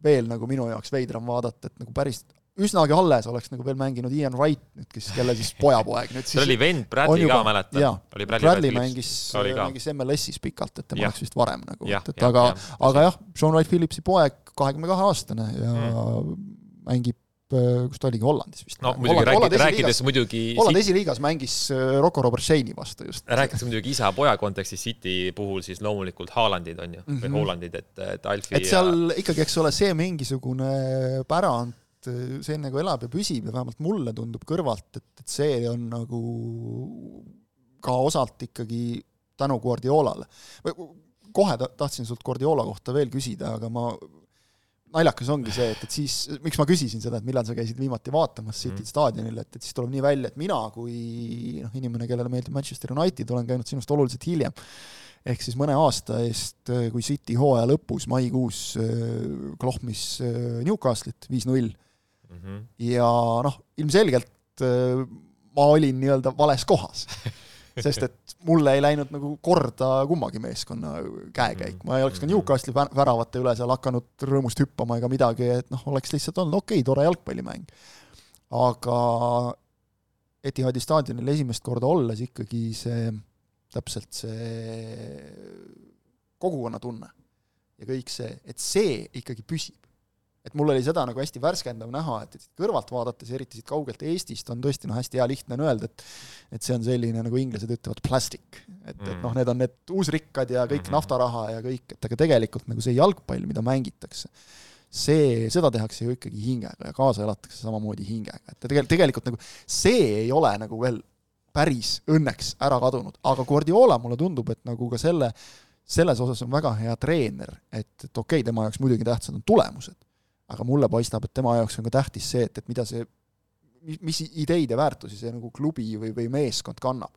veel nagu minu jaoks veidram vaadata, et nagu päris üsnagi alles oleks nagu veel mänginud Ian Wright, nüüd, kelle siis pojapoeg nüüd siis see oli vend Bradley juba, ka mäletan. Jaa, oli Bradley, Bradley mängis, mängis M L S-is pikalt, et tema oleks vist varem nagu, ja, et, et ja, aga, ja, aga jah, Sean Wright Phillipsi poeg kahekümne kahe aastane ja mm. mängib kus ta oligi Hollandis vist. No muidugi Holland, rääkides muidugi... Holland esiliigas mängis Rocco Robert Shane'i vastu just. Rääkides muidugi isa-poja kontekstis City puhul siis loomulikult Haalandid on ju, mm-hmm. või Hollandid, et, et Alfi et seal ja... ikkagi, eks ole, see mingisugune pärand, see nagu elab ja püsib ja vähemalt mulle tundub kõrvalt, et, et see on nagu ka osalt ikkagi tänu Guardiolale. Kohe tahtsin sult Guardiola kohta veel küsida, aga ma naljakas ongi see, et, et siis, miks ma küsisin seda, et millal sa käisid viimati vaatamas City mm. staadionile, et, et siis tuleb nii välja, et mina kui noh, inimene, kellele meeldib Manchester United, olen käinud sinust oluliselt hiljem. Ehk siis mõne aasta eest, kui City hooaja lõpus, maikuus klohmis Newcastle'it viis null. Mm-hmm. Ja noh, ilmselgelt ma olin nii-öelda vales kohas. Sest et mulle ei läinud nagu korda kummagi meeskonna käekäik. Ma ei oleks ka Newcastle'i väravate üle seal hakanud rõõmust hüppama ega midagi, et noh, oleks lihtsalt olnud okei, tore jalgpallimäng. Aga Etihadi staadionil esimest korda olles ikkagi see, täpselt see kogukonna tunne ja kõik see, et see ikkagi püsib. Et mul oli seda nagu hästi värskendav näha, et kõrvalt vaadates, eriti siit kaugelt Eestist, on tõesti no, hästi hea lihtne on öelda, et, et see on selline, nagu inglased ütlevad, plastic. Et, mm. et noh, need on need uusrikkad ja kõik mm-hmm. naftaraha ja kõik, et aga tegelikult nagu see jalgpall, mida mängitakse, see, seda tehakse ju ikkagi hingega ja kaasa elatakse samamoodi hingega. Et tegelikult, tegelikult nagu see ei ole nagu veel päris õnneks ära kadunud, aga Guardiola mulle tundub, et nagu ka selle, selles osas on väga hea treener, et, et okei, okay, tema jaoks muidugi tähtsad on tulemused, aga mulle paistab, et tema jaoks on ka tähtis see, et, et mida see, mis ideid ja väärtusi see nagu klubi või, või meeskond kannab.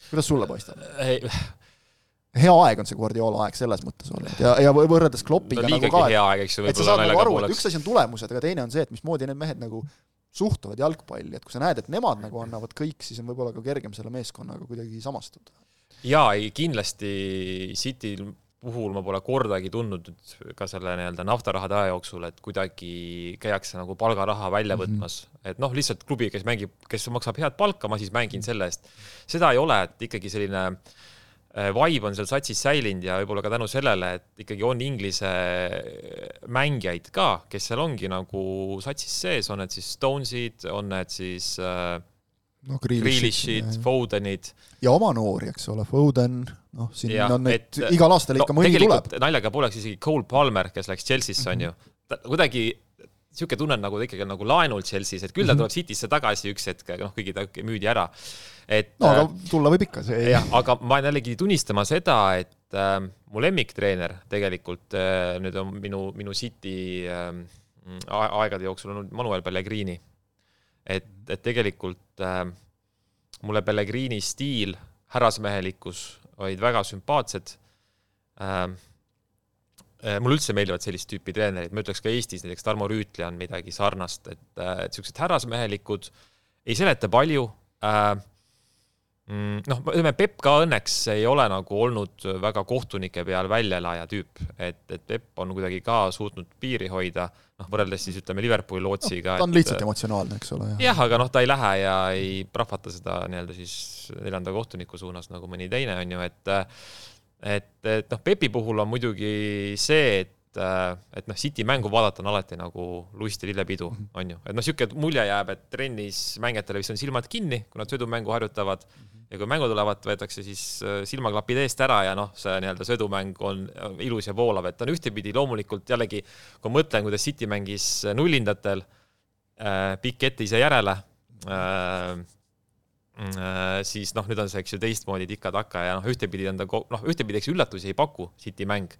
Kuidas sulle paistab? Ei. Hea aeg on see Guardiola aeg selles mõttes olnud ja, ja võrreldes Kloppiga no, nagu ka, hea aeg, eks, et sa saad nagu aru, et üks asi on tulemused, aga teine on see, et mismoodi need mehed nagu suhtuvad jalgpalli, et kui sa näed, et nemad nagu annavad kõik, siis on võib-olla ka kergem selle meeskonnaga kuidagi samastuda. Jaa, kindlasti City puhul ma pole kordagi tundnud ka selle nii-öelda naftarahade aja jooksul, et kuidagi käiakse nagu palgaraha välja võtmas. Mm-hmm. Et noh, lihtsalt klubi, kes mängib, kes maksab head palka, ma siis mängin selle eest. Seda ei ole, et ikkagi selline vibe on seal satsis säilinud ja võib-olla ka tänu sellele, et ikkagi on inglise mängijaid ka, kes seal ongi nagu satsis sees, on need siis Stonesid, on need siis no, Grealishid, Fodenid. Ja oma noori, eks ole, Foden, noh, siin ja, on need, et, igal aastal ikka no, mõni tuleb. Naljaga poleks isegi Cole Palmer, kes läks Chelsea'sse, on ju. Ta, kuidagi siuke tunnen nagu ikkagi nagu laenul Chelsea's, et küll ta tuleb City'sse tagasi üks hetk, noh, kõigi ta müüdi ära. Et, no, aga tulla võib ikka see. Jah, aga ma jällegi tunnistama seda, et äh, mu lemmiktreener tegelikult äh, nüüd on minu, minu City äh, aegade jooksul on Manuel Pellegrini. Et, et tegelikult äh, mulle Pellegrini stiil, härrasmehelikkus olid väga sümpaatsed. Äh, Mul üldse meeldivad sellist tüüpi treenerid, ma ütleks ka Eestis, näiteks Tarmo Rüütli on midagi sarnast, et, et sellised härrasmehelikud ei seleta palju. Noh, ütleme, Pep ka õnneks ei ole nagu olnud väga kohtunike peal väljelaja tüüp, et, et Pep on kuidagi ka suutnud piiri hoida, noh, võrreldes siis ütleme Liverpooli lootsiga. No, ta on lihtsalt et, emotsionaalne, eks ole. Jah, aga noh, ta ei lähe ja ei prahvata seda nii-öelda siis neljanda kohtuniku suunas nagu mõni teine on ju, et et, et noh, Pepi puhul on muidugi see, et, et noh, City mängu vaadata on alati nagu lust ja lillepidu, on ju. Et noh, siuke mulje jääb, et trennis mängijatele vist on silmad kinni, kui nad sõidumängu harjutavad ja kui mängu tulevad, võetakse siis silmaklapid eest ära ja noh, see nii-öelda sõidumäng on ilus ja voolav, et on ühtepidi loomulikult jällegi, kui mõtlen, kuidas City mängis nullindatel, pikk ette ise järele, siis noh, nüüd on see, eks ju, teistmoodi tikka-taka ja noh, ühtepidi on ta, noh, ühtepidi eks üllatusi ei paku City mäng,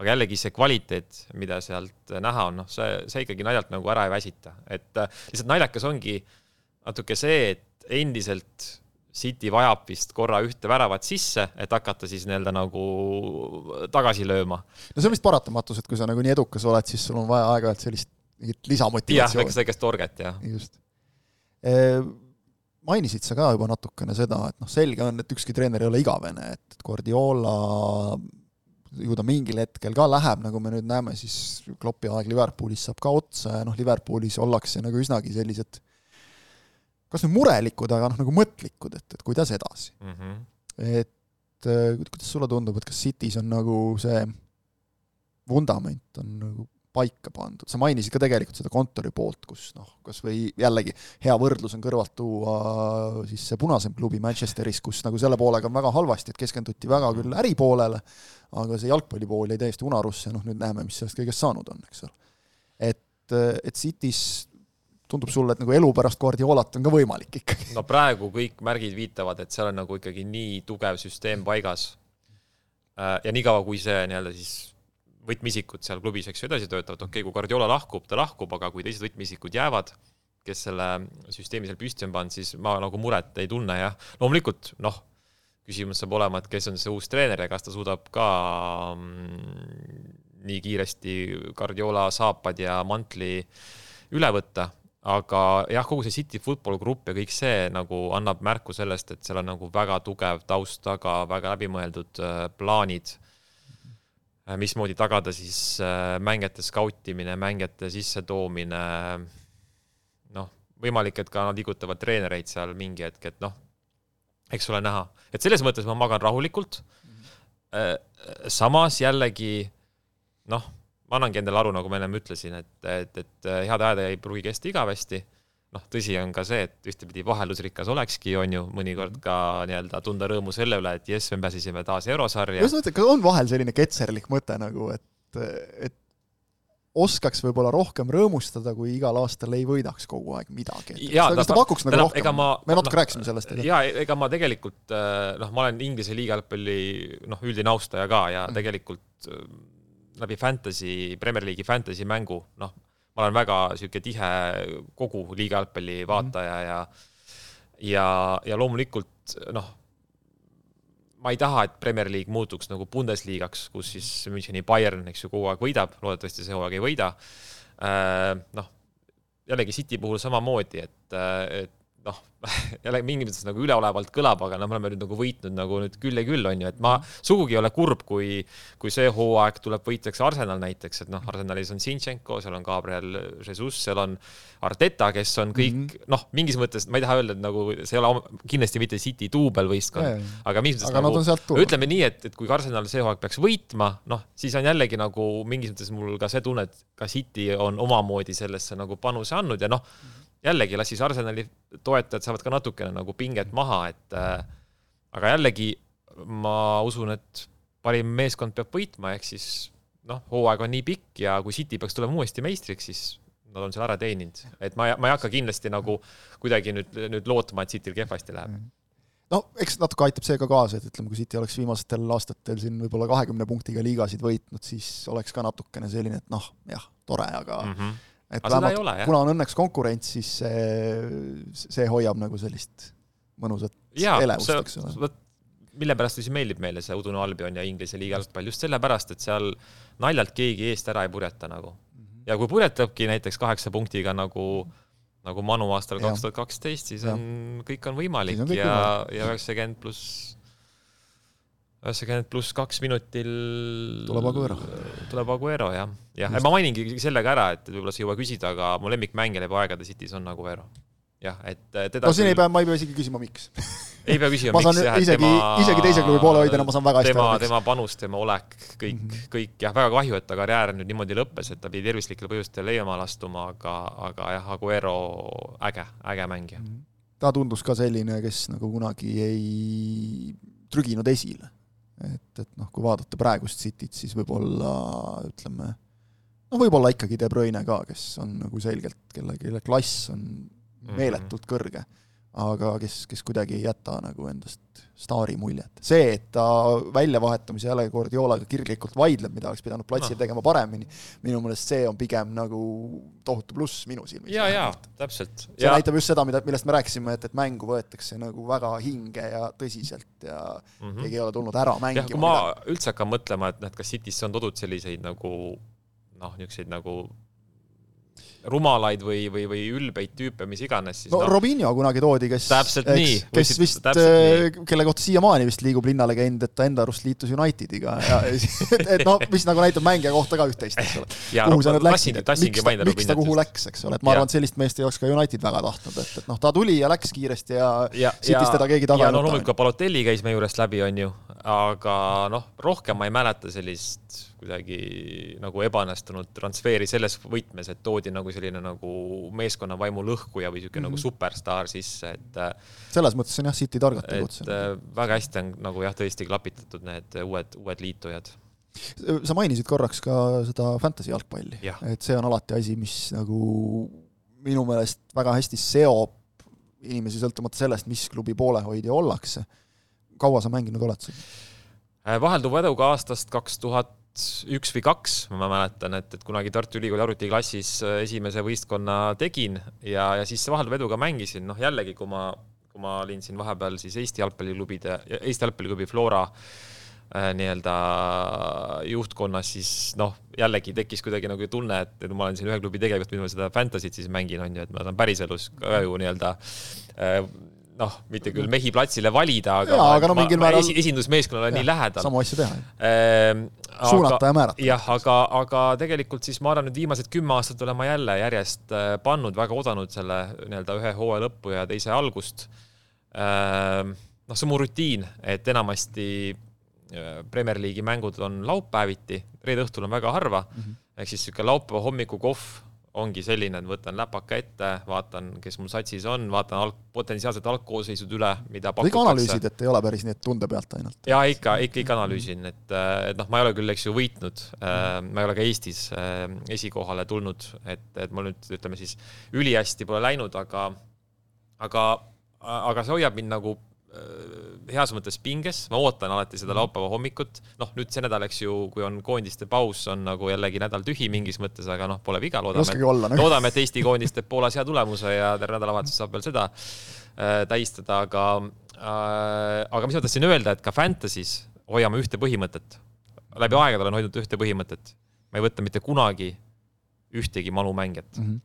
aga jällegi see kvaliteet, mida sealt näha on, noh, see, see ikkagi naljalt nagu ära ei väsita. Et lihtsalt naljakas ongi natuke see, et endiselt City vajab vist korra ühte väravat sisse, et hakata siis nii-öelda nagu tagasi lööma. No see on vist paratamatus, et kui sa nagu nii edukas oled, siis sul on vaja aega sellist lisamotivatsioon. Jah, väikest torget, jah. Just. E mainisid sa ka juba natukene seda, et noh, selge on, et ükski treener ei ole igavene, et Guardiola ju ta mingil hetkel ka läheb, nagu me nüüd näeme, siis Kloppi aeg Liverpoolis saab ka otsa ja noh, Liverpoolis ollakse nagu üsnagi sellised kas nüüd murelikud, aga noh, nagu mõtlikud, et, et kuidas edasi. Mm-hmm. Et kuidas sulle tundub, et kas City's on nagu see vundament on nagu paika pandud. Sa mainisid ka tegelikult seda kontori poolt, kus noh, kas või jällegi hea võrdlus on kõrvalt tuua siis see punasem klubi Manchesteris, kus nagu selle poolega on väga halvasti, et keskenduti väga küll äripoolele, aga see jalgpallipool ei täiesti unarusse, noh nüüd näeme, mis sellest kõigest saanud on, eks ole. Et, et City's tundub sulle, et nagu elu pärast Guardiolat on ka võimalik ikkagi. No praegu kõik märgid viitavad, et seal on nagu ikkagi nii tugev süsteem paigas. Ja nii kaua, kui see nii-öelda siis võtmisikud seal klubis, eks ju, edasi töötavad, okei, kui Guardiola lahkub, ta lahkub, aga kui teised võtmisikud jäävad, kes selle süsteemi seal püsti on pannud, siis ma nagu muret ei tunne ja loomulikult, noh, küsimus saab olema, et kes on see uus treener ja kas ta suudab ka mm, nii kiiresti Guardiola saapad ja mantli üle võtta, aga jah, kogu see City Football Group ja kõik see nagu annab märku sellest, et seal on nagu väga tugev taust taga, väga läbimõeldud plaanid, mismoodi tagada siis mängijate skautimine, mängijate sissetoomine, noh, võimalik, et ka nad liigutavad treenereid seal mingi hetk, et noh, eks ole näha. Et selles mõttes ma magan rahulikult. Samas jällegi, noh, ma annangi endale aru, nagu ma ennem ütlesin, et, et, et head ajad ei pruugi kesta igavesti. Noh, tõsi on ka see, et ühtepidi vahelusrikas olekski, on ju mõnikord ka nii-öelda tunda rõõmu selle üle, et jes, me pääsisime taas eurosarja. Just mõte, on vahel selline ketserlik mõte nagu, et, et oskaks võib-olla rohkem rõõmustada, kui igal aastal ei võidaks kogu aeg midagi. Ja, kas ta, ta pakuks nagu rohkem? Ma, me natuke no, rääkisime sellest. Ega. Ja, ega ma tegelikult, noh, ma olen Inglise liigajalgpalli noh, üldine austaja ka ja mm. tegelikult läbi fantasy, Premier League'i fantasy mängu, noh, ma olen väga siuke tihe kogu liigajalgpalli vaataja mm. ja, ja, ja loomulikult, noh, ma ei taha, et Premier League muutuks nagu Bundesliigaks, kus siis Müncheni Bayern, eks ju, kogu aeg võidab, loodetavasti see kogu aeg ei võida. Noh, jällegi City puhul samamoodi, et, et noh, jälle mingi mõttes nagu üleolevalt kõlab, aga no, me oleme nüüd nagu võitnud nagu nüüd küll ja küll on ju, et ma sugugi ei ole kurb, kui, kui see hooaeg tuleb võitjaks Arsenal näiteks, et noh, Arsenalis on Zinchenko, seal on Gabriel Jesus, seal on Arteta, kes on kõik, mm -hmm. noh, mingis mõttes, ma ei taha öelda, et nagu see ei ole kindlasti mitte City duubelvõistkond, yeah, aga mingis mõttes nagu, ütleme nii, et, et kui Arsenal see hooaeg peaks võitma, noh, siis on jällegi nagu mingis mõttes mul ka see tunne, et ka City on omamoodi sellesse nagu panuse andnud ja noh, jällegi las siis Arsenali toetajad saavad ka natukene nagu pinget maha, et äh, aga jällegi ma usun, et parim meeskond peab võitma, ehk siis noh, hooaeg on nii pikk ja kui City peaks tulema uuesti meistriks, siis nad on seal ära teeninud. Et ma, ma ei hakka kindlasti nagu kuidagi nüüd, nüüd lootma, et Cityl kehvasti läheb. No, eks natuke aitab see ka kaasa, et ütleme, kui City oleks viimastel aastatel siin võib-olla kahekümne punktiga liigasid võitnud, siis oleks ka natukene selline, et noh, jah, tore, aga mm -hmm. et vähemalt, ole, kuna on õnneks konkurents, siis see, see hoiab nagu sellist mõnusat ja, elevust, see, eks ole. Mille pärast siis meeldib meile see Udune Albion ja Inglise liigajalgpall, just sellepärast, et seal naljalt keegi eest ära ei purjeta nagu. Ja kui purjetabki näiteks kaheksa punktiga nagu, nagu Manu aastal kaks tuhat kaksteist, siis on, kõik on võimalik on kõik ja, võimalik. ja üheksakümmend pluss üheksakümmend pluss kaks minutil tuleb Aguero. Tuleb Aguero, jah. Ja, ma mainingi sellega ära, et võib-olla see juba küsida, aga mu lemmikmängija läbi aegade City's on Aguero. Jah, et teda no siin küll... ei pea, ma ei pea isegi küsima, miks. Ei pea küsima, ma miks. Jah, isegi, tema, isegi teise klubi poole hoidena ma saan väga hästi tema, tema panus, tema olek, kõik, mm -hmm. kõik. Jah, väga kahju, et ta karjäär nüüd niimoodi lõppes, et ta pidi tervislikel põhjustel leiama lastuma, aga, aga jah, Aguero äge, äge mängija. Mm -hmm. Ta tundus ka selline, kes nagu kunagi ei trüginud esile. Et, et noh, kui vaadata praegust Cityt, siis võib-olla, ütleme, no võib-olla ikkagi De Bruyne ka, kes on nagu selgelt, kelle, kelle klass on meeletult kõrge, aga kes, kes kuidagi ei jäta nagu endast staari muljet. See, et ta väljavahetamise jälle Guardiolaga kirglikult vaidleb, mida oleks pidanud platsil no. tegema paremini, minu mõelest see on pigem nagu tohutu pluss minu silmis. Ja, ja, täpselt. See ja. näitab just seda, millest me rääkisime, et, et mängu võetakse nagu väga hinge ja tõsiselt ja mm -hmm. keegi ei ole tulnud ära mängima. Ja, kui ma mida... üldse hakkan mõtlema, et, et kas City's on todud selliseid nagu, noh, niisuguseid nagu rumalaid või, või, või ülbeid tüüpe, mis iganes. Siis, no, no Robinho kunagi toodi, kes, täpselt eks, nii, kes võisid, vist, kelle kohta siiamaani vist liigub linnale käinud, et ta enda arust liitus Unitediga. Ja, et, et noh, mis nagu näitab mängija kohta ka üht-teist, eks ole. Ja, kuhu no, sa nüüd läksid, et miks ta, miks ta kuhu läks, eks ole. Et ma arvan, et sellist meest ei oleks ka United väga tahtnud. Et, et noh, ta tuli ja läks kiiresti ja, ja City's teda keegi taga ja no loomulikult ka Balotelli käis me juurest läbi, on ju. Aga noh, rohkem ma ei mäleta sellist kuidagi nagu ebanestunud transfeeri selles võtmes, et toodi nagu selline nagu meeskonna vaimu lõhkuja või selline mm -hmm. nagu superstar sisse, et selles mõttes on jah City targalt tegutsenud. Et väga hästi on nagu jah tõesti klapitatud need uued, uued liitujad. Sa mainisid korraks ka seda fantasy jalgpalli, et see on alati asi, mis nagu minu meelest väga hästi seob inimesi sõltumata sellest, mis klubi poolehoidja ollakse. Kaua sa mänginud oled siin? Vahelduva eduga aastast kaks tuhat üks või kaks, ma mäletan, et, et kunagi Tartu Ülikooli arvutiklassis esimese võistkonna tegin ja, ja siis vahelduva eduga mängisin. Noh, jällegi, kui ma, kui ma olin siin vahepeal siis Eesti jalgpalliklubide, Eesti jalgpalliklubi Flora äh, nii-öelda juhtkonnas, siis noh, jällegi tekkis kuidagi nagu tunne, et ma olen siin ühe klubi tegelikult, mida ma seda fantasy't siis mängin, on ju, et ma saan päriselus ka ju nii-öelda äh, noh, mitte küll mehi platsile valida, aga, ja, aga no, ma, ma määral... esindusmeeskonnale nii lähedal. Samu asju teha. Ehm, suunata aga, ja määrata. Jah, aga, aga tegelikult siis ma arvan, nüüd viimased kümme aastat olen ma jälle järjest pannud, väga odanud selle nii-öelda ühe hooaja lõppu ja teise algust. Ehm, noh, see on mu rutiin, et enamasti Premier League'i mängud on laupäeviti, reede õhtul on väga harva, mm -hmm. ehk siis siuke laupäeva hommiku kohv ongi selline, et võtan läpaka ette, vaatan, kes mul satsis on, vaatan alg, potentsiaalselt algkoosseisud üle, mida pakutakse. Kõik analüüsid, et ei ole päris nii, et tunde pealt ainult. Ja ikka, ikka, ikka analüüsin, et, et noh, ma ei ole küll, eks ju, võitnud, ma ei ole ka Eestis esikohale tulnud, et, et mul nüüd, ütleme siis, ülihästi pole läinud, aga, aga, aga see hoiab mind nagu heas mõttes pinges, ma ootan alati seda laupäeva hommikut, noh nüüd see nädal, eks ju, kui on koondiste paus, on nagu jällegi nädal tühi mingis mõttes, aga noh, pole viga, loodame, et, olla, nagu. loodame, et Eesti koondis teeb Poolas hea tulemuse ja terve nädalavahetus saab veel seda äh, tähistada, aga, äh, aga mis ma tahtsin öelda, et ka Fantasy's hoiame ühte põhimõtet, läbi aegade olen hoidnud ühte põhimõtet, ma ei võtta mitte kunagi ühtegi Manu mängijat mm -hmm.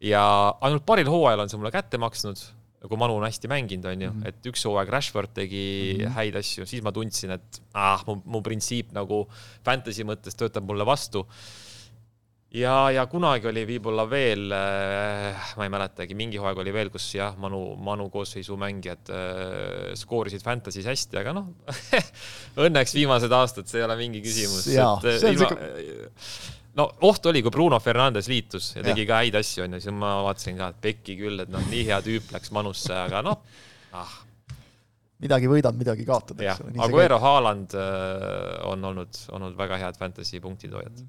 ja ainult paril hooajal on see mulle kätte maksnud, kui Manu on hästi mänginud, on ju, et üks hooaeg Rashford tegi mm-hmm. häid asju, siis ma tundsin, et ah, mu, mu printsiip nagu fantasy mõttes töötab mulle vastu. Ja, ja kunagi oli viibolla veel, ma ei mäletagi, mingi hooaeg oli veel, kus jah, Manu, Manu koosseisu mängijad äh, skoorisid fantasy's hästi, aga noh, õnneks viimased aastad, see ei ole mingi küsimus. Jaa, et, see on ilma, see... No oht oli, kui Bruno Fernandes liitus ja tegi ja. ka häid asju, on ja siis ma vaatasin ka, et Pekki küll, et noh, nii hea tüüp läks Manusse, aga noh, ah. Midagi võidad, midagi kaotad. Aguero Haaland on olnud, olnud väga head fantasy punktitoojad.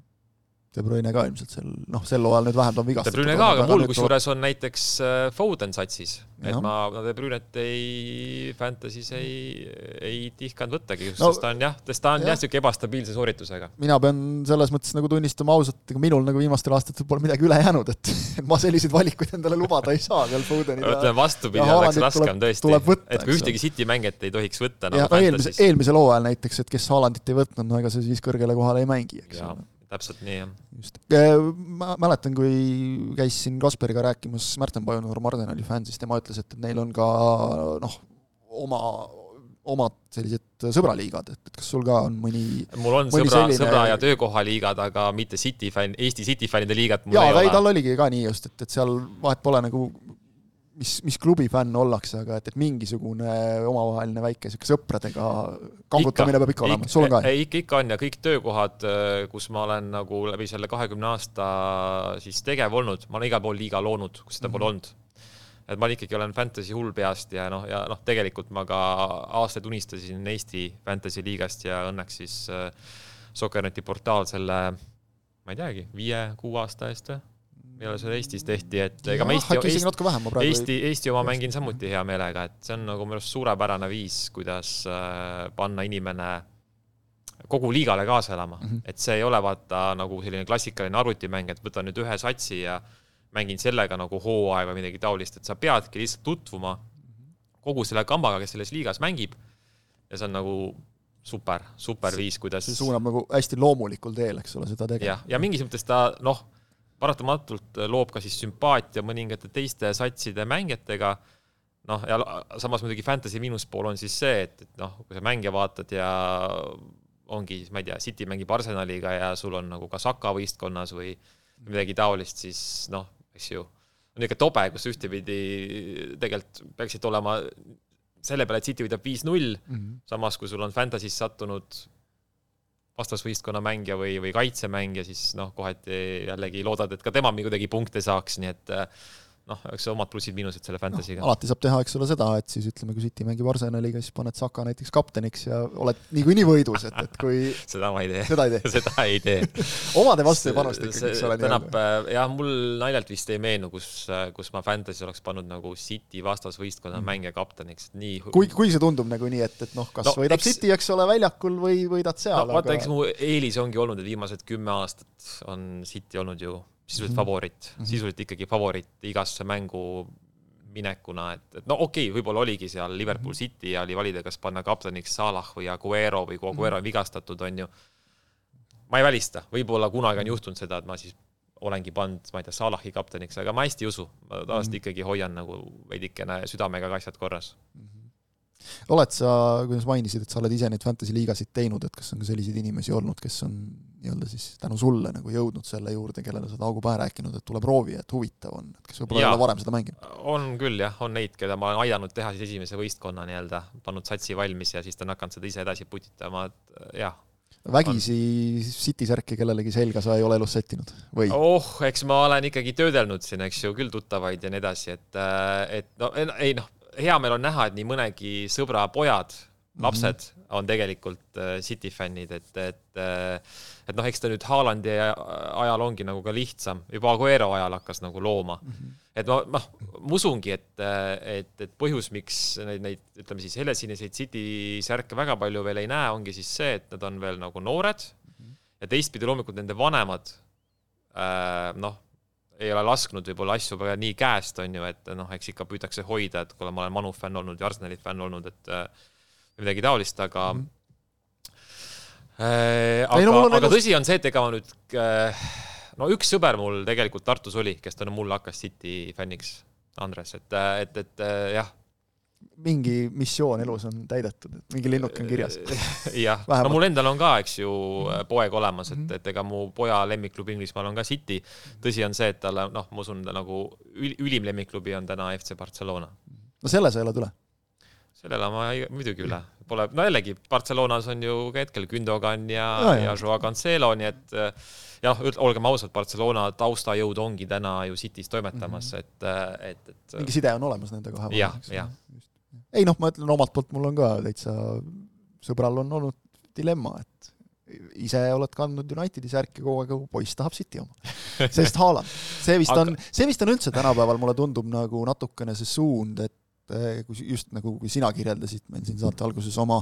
De Bruyne ka ilmselt sel, noh, sel ajal nüüd vähem ta on vigastatud. De Bruyne ka, aga mul kusjuures on näiteks Foden satsis, et ja. ma De Bruynet ei fantasy's ei, ei tihkanud võttagi, just no, sest ta on jah, sest ta on jah, jah siuke ebastabiilse sooritusega. Mina pean selles mõttes nagu tunnistama ausalt, ega minul nagu viimastel aastatel pole midagi üle jäänud, et, et ma selliseid valikuid endale lubada ei saa veel Fodenid. Ütleme vastupidi, oleks raskem tõesti, võtta, et kui ühtegi City mängijat ei tohiks võtta. Ja, nagu no, eelmise, eelmisel hooajal näiteks, et kes Haalandit ei võtnud, no ega see siis kõrgele kohale ei mängi, eks ja. Täpselt nii, jah. Just. Ma mäletan, kui käisin Kasperiga rääkimas Märten Pajunur Mardenali fänsist, tema ütles, et neil on ka noh, oma, omad sellised sõbraliigad, et kas sul ka on mõni mul on sõbra, selline... sõbra ja töökohaliigad, aga mitte City fan, Eesti City fännide liigat mul jaa, ei ole. Jaa, tal oligi ka nii just, et, et seal vahet pole nagu mis, mis klubi fänn ollakse, aga et, et mingisugune omavaheline väike sõpradega kangutamine peab ikka olema. Sul on ka? Ei, ikka, ikka on ja kõik töökohad, kus ma olen nagu läbi selle kahekümne aasta siis tegev olnud, ma olen igal pool liiga loonud, kus seda mm-hmm. pole olnud. Et ma ikkagi olen fantasy hull peast ja noh, ja noh, tegelikult ma ka aastaid unistasin Eesti fantasy liigast ja õnneks siis äh, Sokkerneti portaal selle, ma ei teagi, viie, kuu aasta eest või? Meile see Eestis tehti, et ega ma Eesti, Eesti, vähem, ma Eesti, Eesti oma mängin samuti hea meelega, et see on nagu minu suurepärane viis, kuidas panna inimene kogu liigale kaasa elama. Mm-hmm. Et see ei ole vaata nagu selline klassikaline arvutimäng, et võtan nüüd ühe satsi ja mängin sellega nagu hooaega või midagi taolist, et sa peadki lihtsalt tutvuma kogu selle kambaga, kes selles liigas mängib ja see on nagu super, super viis, kuidas see suunab nagu hästi loomulikul teel, eks ole, seda tegema. Ja, ja mingis mõttes ta, noh, paratamatult loob ka siis sümpaatia mõningate teiste satside mängijatega, noh, ja samas muidugi fantasy miinuspool on siis see, et, et noh, kui sa mängija vaatad ja ongi, ma ei tea, City mängib Arsenaliga ja sul on nagu ka Saka võistkonnas või midagi taolist, siis noh, eks ju, on ikka tobe, kus ühtepidi tegelikult peaksid olema selle peale, et City võidab viis null, mm-hmm. samas kui sul on fantasy's sattunud vastasvõistkonna mängija või, või kaitsemängija, siis noh, kohati jällegi loodad, et ka tema kuidagi punkte saaks, nii et noh, eks see omad plussid miinused selle fantasyga. No, alati saab teha, eks ole seda, et siis ütleme, kui City mängib Arsenaliga, siis paned Saka näiteks kapteniks ja oled niikuinii nii võidus, et, et kui seda ma ei tee. Seda ei tee. seda ei tee. Omade vastu ei panusta ikkagi, eks ole. Tänab, jah, mul naljalt vist ei meenu, kus, kus ma fantasy oleks pannud nagu City vastasvõistkonna mm. mängija kapteniks. Nii... Kui, kui see tundub nagu nii, et, et noh, kas no, võidab eks... City, eks ole, väljakul või võidad seal. No, vaata, aga... eks mu eelis ongi olnud, et viimased kümme aastat on City olnud ju sisuliselt mm-hmm. favorit, sisuliselt ikkagi favorit igasse mängu minekuna, et, et no okei, okay, võib-olla oligi seal Liverpool City ja oli valida, kas panna kapteniks Salah või Aguero või kui Aguero on vigastatud, on ju. Ma ei välista, võib-olla kunagi on juhtunud seda, et ma siis olengi pand, ma ei tea, Salahi kapteniks, aga ma hästi usu. Ma tavaliselt mm-hmm. ikkagi hoian nagu veidikene südamega asjad korras. Mm-hmm. Oled sa, kuidas mainisid, et sa oled ise neid fantasy liigasid teinud, et kas on ka selliseid inimesi olnud, kes on nii-öelda siis tänu sulle nagu jõudnud selle juurde, kellele sa Taugu pähe rääkinud, et tule proovi, et huvitav on, et kes võib-olla ole varem seda mänginud? On küll jah, on neid, keda ma olen aidanud teha siis esimese võistkonna nii-öelda, pannud satsi valmis ja siis ta on hakanud seda ise edasi putitama, et jah. vägisi City särki kellelegi selga sa ei ole elus settinud või? Oh, eks ma olen ikkagi töödelnud siin, eks ju, küll tuttavaid ja nii edasi, et, et no, ei noh, hea meil on näha, et nii mõnegi sõbra pojad, lapsed mm-hmm. on tegelikult City fännid, et, et, et noh, eks ta nüüd Haalandi ajal ongi nagu ka lihtsam, juba Aguero ajal hakkas nagu looma. Mm-hmm. Et ma, ma, ma usungi, et, et, et põhjus, miks neid, neid, ütleme siis helesiniseid City särke väga palju veel ei näe, ongi siis see, et nad on veel nagu noored mm-hmm. ja teistpidi loomulikult nende vanemad äh, noh, ei ole lasknud võib-olla asju väga nii käest, on ju, et noh, eks ikka püütakse hoida, et kui ma olen Manu fänn olnud ja Arsenali fänn olnud, et midagi taolist, aga mm. äh, aga, no, aga nagu... tõsi on see, et ega ma nüüd äh, no üks sõber mul tegelikult Tartus oli, kes ta no mulle hakkas City fänniks, Andres, et, et, et jah. Mingi missioon elus on täidetud, et mingi linnuk on kirjas. jah, no mul endal on ka, eks ju, poeg olemas, et, et ega mu poja lemmikklubi Inglismaal on ka City. Tõsi on see, et talle, noh, ma usun, nagu ülim lemmikklubi on täna F C Barcelona. No selle sa elad üle? Sellele ma muidugi üle. Pole, no jällegi, Barcelonas on ju ka hetkel Gündogan ja, ja, ja Joao Cancelo, nii et jah, olgem ausalt, Barcelona taustajõud ongi täna ju City's toimetamas, mm-hmm. et, et, et mingi side on olemas nende kahe. jah, jah. Ei noh, ma ütlen omalt poolt, mul on ka täitsa sõbral on olnud dilemma, et ise oled kandnud Unitedi särki kogu aeg, poiss tahab City oma. Sest Haaland. See vist on, see vist on üldse tänapäeval, mulle tundub nagu natukene see suund, et just nagu kui sina kirjeldasid meil siin saate alguses oma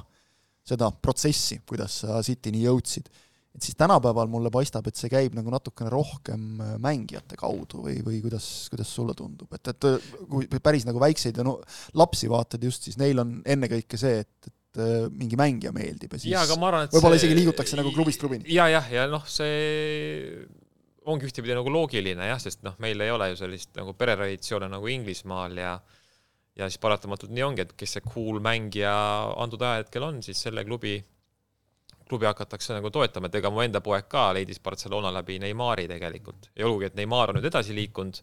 seda protsessi, kuidas sa Citini jõudsid, et siis tänapäeval mulle paistab, et see käib nagu natukene rohkem mängijate kaudu või, või kuidas, kuidas sulle tundub, et, et kui päris nagu väikseid ja no, lapsi vaatad just, siis neil on ennekõike see, et, et mingi mängija meeldib ja siis ja, arvan, võib-olla see... isegi liigutakse nagu klubist klubini. Ja, jah, ja noh, see ongi ühtepidi nagu loogiline, jah, sest noh, meil ei ole ju sellist nagu peretraditsioone nagu Inglismaal ja ja siis paratamatult nii ongi, et kes see cool mängija antud ajahetkel on, siis selle klubi, klubi hakatakse nagu toetama, et ega mu enda poeg ka leidis Barcelona läbi Neymari tegelikult. Ja olgugi, et Neymar on nüüd edasi liikunud,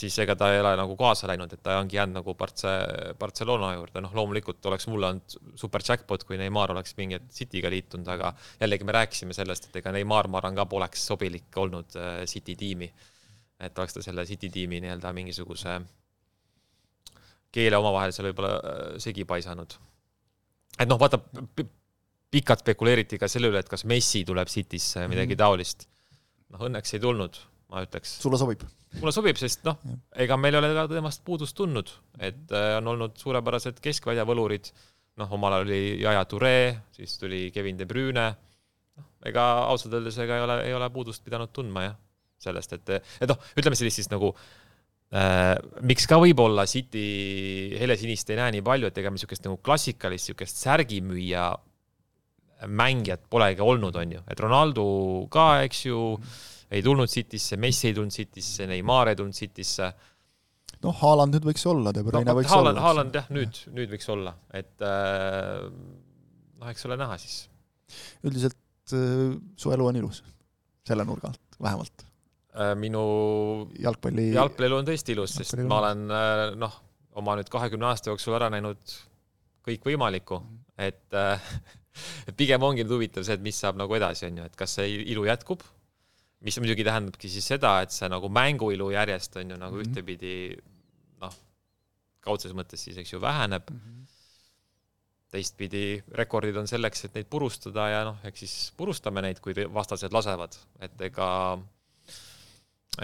siis ega ta ei ole nagu kaasa läinud, et ta ongi jäänud nagu Barcelona juurde. Noh, loomulikult oleks mulle olnud super jackpot, kui Neymar oleks mingi Cityga liitunud, aga jällegi me rääkisime sellest, et ega Neymar Maran ka poleks sobilik olnud City tiimi. Et oleks ta selle City tiimi nii-öelda mingisuguse keele omavahel seal võib-olla segi paisanud. Et noh, vaata, pikalt spekuleeriti ka selle üle, et kas Messi tuleb Citysse midagi taolist. Noh, õnneks ei tulnud, ma ütleks. Sulle sobib? Mulle sobib, sest noh, ega meil ei ole ka temast puudust tulnud, et on olnud suurepärased keskväljavõlurid. Noh, omal oli Yaya Touré, siis tuli Kevin De Bruyne. Ega ausalt öeldes ega ei ole, ei ole puudust pidanud tundma, jah, sellest, et, et noh, ütleme sellist siis nagu Äh, miks ka võib-olla City helesinist ei näe nii palju, et ega me niisugust nagu klassikalist niisugust särgimüüja mängijat polegi olnud, on ju. Et Ronaldo ka, eks ju, ei tulnud Citysse, Messi ei tulnud Citysse, Neymar ei tulnud Citysse. Noh, Haaland nüüd võiks olla, De Bruyne no, võiks Haaland, olla. Haaland, jah, nüüd, nüüd võiks olla. Et äh, noh, eks ole näha siis. Üldiselt äh, su elu on ilus. Selle nurga alt, vähemalt. Minu jalgpalli jalgpallielu on tõesti ilus, sest ma olen noh, oma nüüd kahekümne aasta jooksul ära näinud kõik võimalikku, et, et pigem ongi nüüd huvitav see, et mis saab nagu edasi, on ju, et kas see ilu jätkub, mis muidugi tähendabki siis seda, et see nagu mänguilu järjest on ju nagu ühtepidi noh, kaudses mõttes siis eks ju väheneb, teistpidi rekordid on selleks, et neid purustada ja noh, eks siis purustame neid, kui vastased lasevad, et ega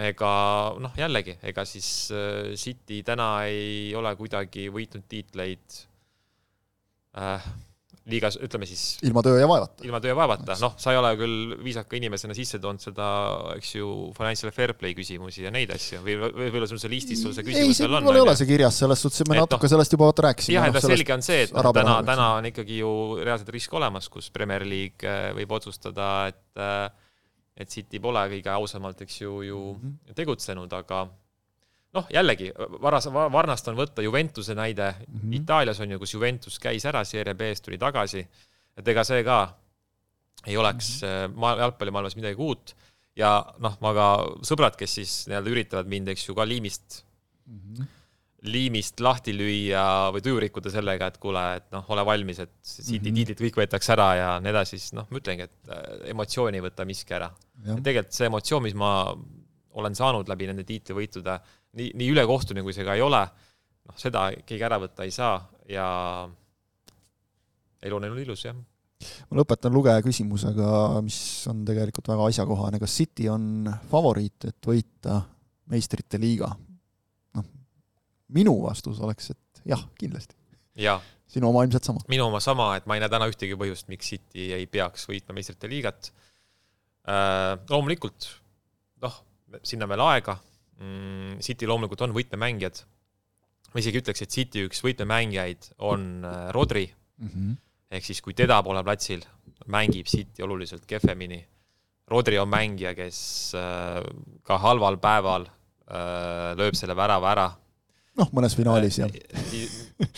ega noh, jällegi, ega siis City täna ei ole kuidagi võitnud tiitleid äh, liigas, ütleme siis ilma töö ja vaevata. Ilma töö ja vaevata. Noh, sa ei ole küll viisaka inimesena sisse toonud seda, eks ju, financial fair play küsimusi ja neid asju. Või võib-olla sul see listis sul see küsimus veel on? Ei, ei ole see kirjas, sellest suhtes me natuke no, sellest juba vaata rääkisime. Jah, et selge on see, et no, täna, täna on ikkagi ju reaalselt risk olemas, kus Premier League võib otsustada, et et City pole kõige ausamalt, eks ju, ju mm-hmm. tegutsenud, aga noh, jällegi, varas, varnast on võtta Juventuse näide. Mm-hmm. Itaalias on ju, kus Juventus käis ära, Serie B-st tuli tagasi, et ega see ka ei oleks mm-hmm. jalgpallimaailmas midagi uut. Ja noh, ma ka sõbrad, kes siis nii-öelda üritavad mind, eks ju, ka liimist, mm-hmm. liimist lahti lüüa või tuju rikkuda sellega, et kuule, et noh, ole valmis, et City mm -hmm. tiitlit kõik võetakse ära ja nii edasi, siis noh, ma ütlengi, et emotsiooni võtta miski ära. Tegelikult see emotsioon, mis ma olen saanud läbi nende tiitlivõitude, nii, nii üle kohtuni, kui see ka ei ole, noh, seda keegi ära võtta ei saa ja elu on ilus, jah. Ma lõpetan lugeja küsimusega, mis on tegelikult väga asjakohane. Kas City on favoriit, et võita meistrite liiga? No, minu vastus oleks, et jah, kindlasti. Ja. Sinu oma ilmselt sama. Minu oma sama, et ma ei näe täna ühtegi põhjust, miks City ei peaks võitma meistrite liigat. Äh, loomulikult, noh, sinna veel aega. Mm, City loomulikult on võitmemängijad. Ma isegi ütleks, et City üks võitmemängijaid on Rodri. Mm-hmm. Ehk siis, kui teda pole platsil, mängib City oluliselt kehvemini. Rodri on mängija, kes ka halval päeval lööb selle värava ära. Noh, mõnes finaalis, jah.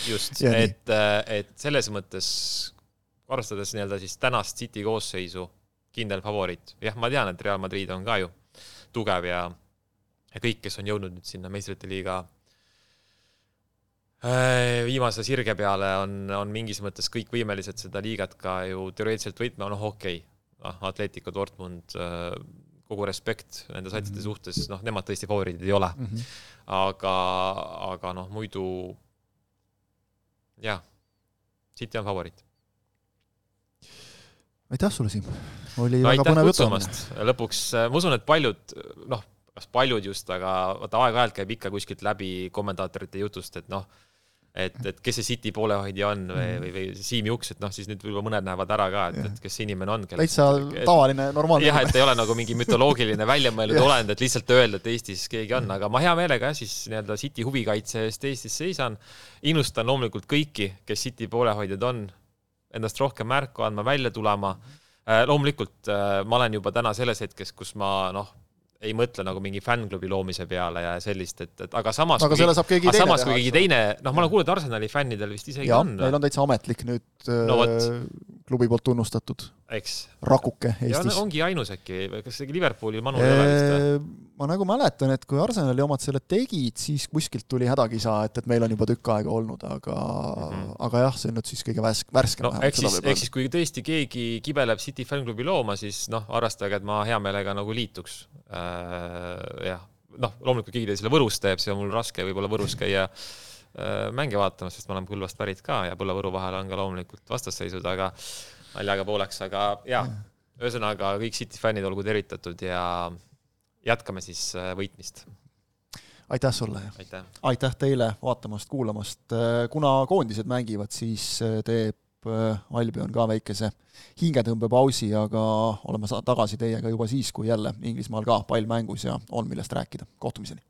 Just, et, et selles mõttes, arvestades nii-öelda siis tänast City koosseisu, kindel favoriit. Jah, ma tean, et Real Madrid on ka ju tugev ja, ja kõik, kes on jõudnud nüüd sinna meistrite liiga viimase sirge peale on, on mingis mõttes kõik võimelised seda liigat ka ju teoreetiliselt võitma, noh okei, okay. Atletico Dortmund, kogu respekt nende satside suhtes, noh nemad tõesti favoriidid ei ole, mm-hmm. aga, aga noh muidu jah, City on favoriit. Aitäh sulle, Siim. Oli no, väga põnev jutumast. Lõpuks, ma usun, et paljud, noh, kas paljud just, aga vaata aeg-ajalt käib ikka kuskilt läbi kommentaatorite jutust, et noh, et, et kes see City poolehoidja on või, või, või Siim Juks, et noh, siis nüüd võib-olla mõned näevad ära ka, et, et kes see inimene on. Täitsa tavaline, normaalne. Jah, et ei ole nagu mingi mütoloogiline väljamõeldud olend, et lihtsalt öelda, et Eestis keegi on, aga ma hea meelega siis nii-öelda City huvikaitse eest Eestis seisan. Innustan loomulikult kõiki, kes City poolehoidjad on, endast rohkem märku andma, välja tulema. Loomulikult ma olen juba täna selles hetkes, kus ma noh, ei mõtle nagu mingi fänklubi loomise peale ja sellist, et, et aga samas aga selle saab keegi teine samas kui keegi teine, noh ma olen kuulnud Arsenali fännidel vist isegi ja, on. Ja, neil on täitsa ametlik nüüd no, klubi poolt tunnustatud Eks. Rakuke Eestis. Ja ongi ainus äkki, kas see Liverpooli Manu ei ole vist? Ma nagu mäletan, et kui Arsenali omad selle tegid, siis kuskilt tuli hädakisa, et, et meil on juba tükk aega olnud, aga, mm-hmm. aga jah, see on nüüd siis kõige värskem. No, eks siis, eks siis, kui tõesti keegi kibeleb City fänklubi looma, siis noh, arvestage, et ma hea meelega nagu liituks. Äh, jah, noh, loomulikult keegi teil selle Võrus teeb, see on mul raske võib-olla Võrus käia äh, mänge vaatama, sest ma olen Põlvast pärit ka ja Põlla-Võru vahel on ka loomulikult vastasseisud, aga naljaga pooleks, aga jah, ühesõnaga kõik City fännid olgu tervitatud ja jätkame siis võitmist. Aitäh sulle. Aitäh. Aitäh teile vaatamast, kuulamast. Kuna koondised mängivad, siis teeb Albion ka väikese hingetõmbepausi, aga oleme tagasi teiega juba siis, kui jälle Inglismaal ka pall mängus ja on millest rääkida. Kohtumiseni.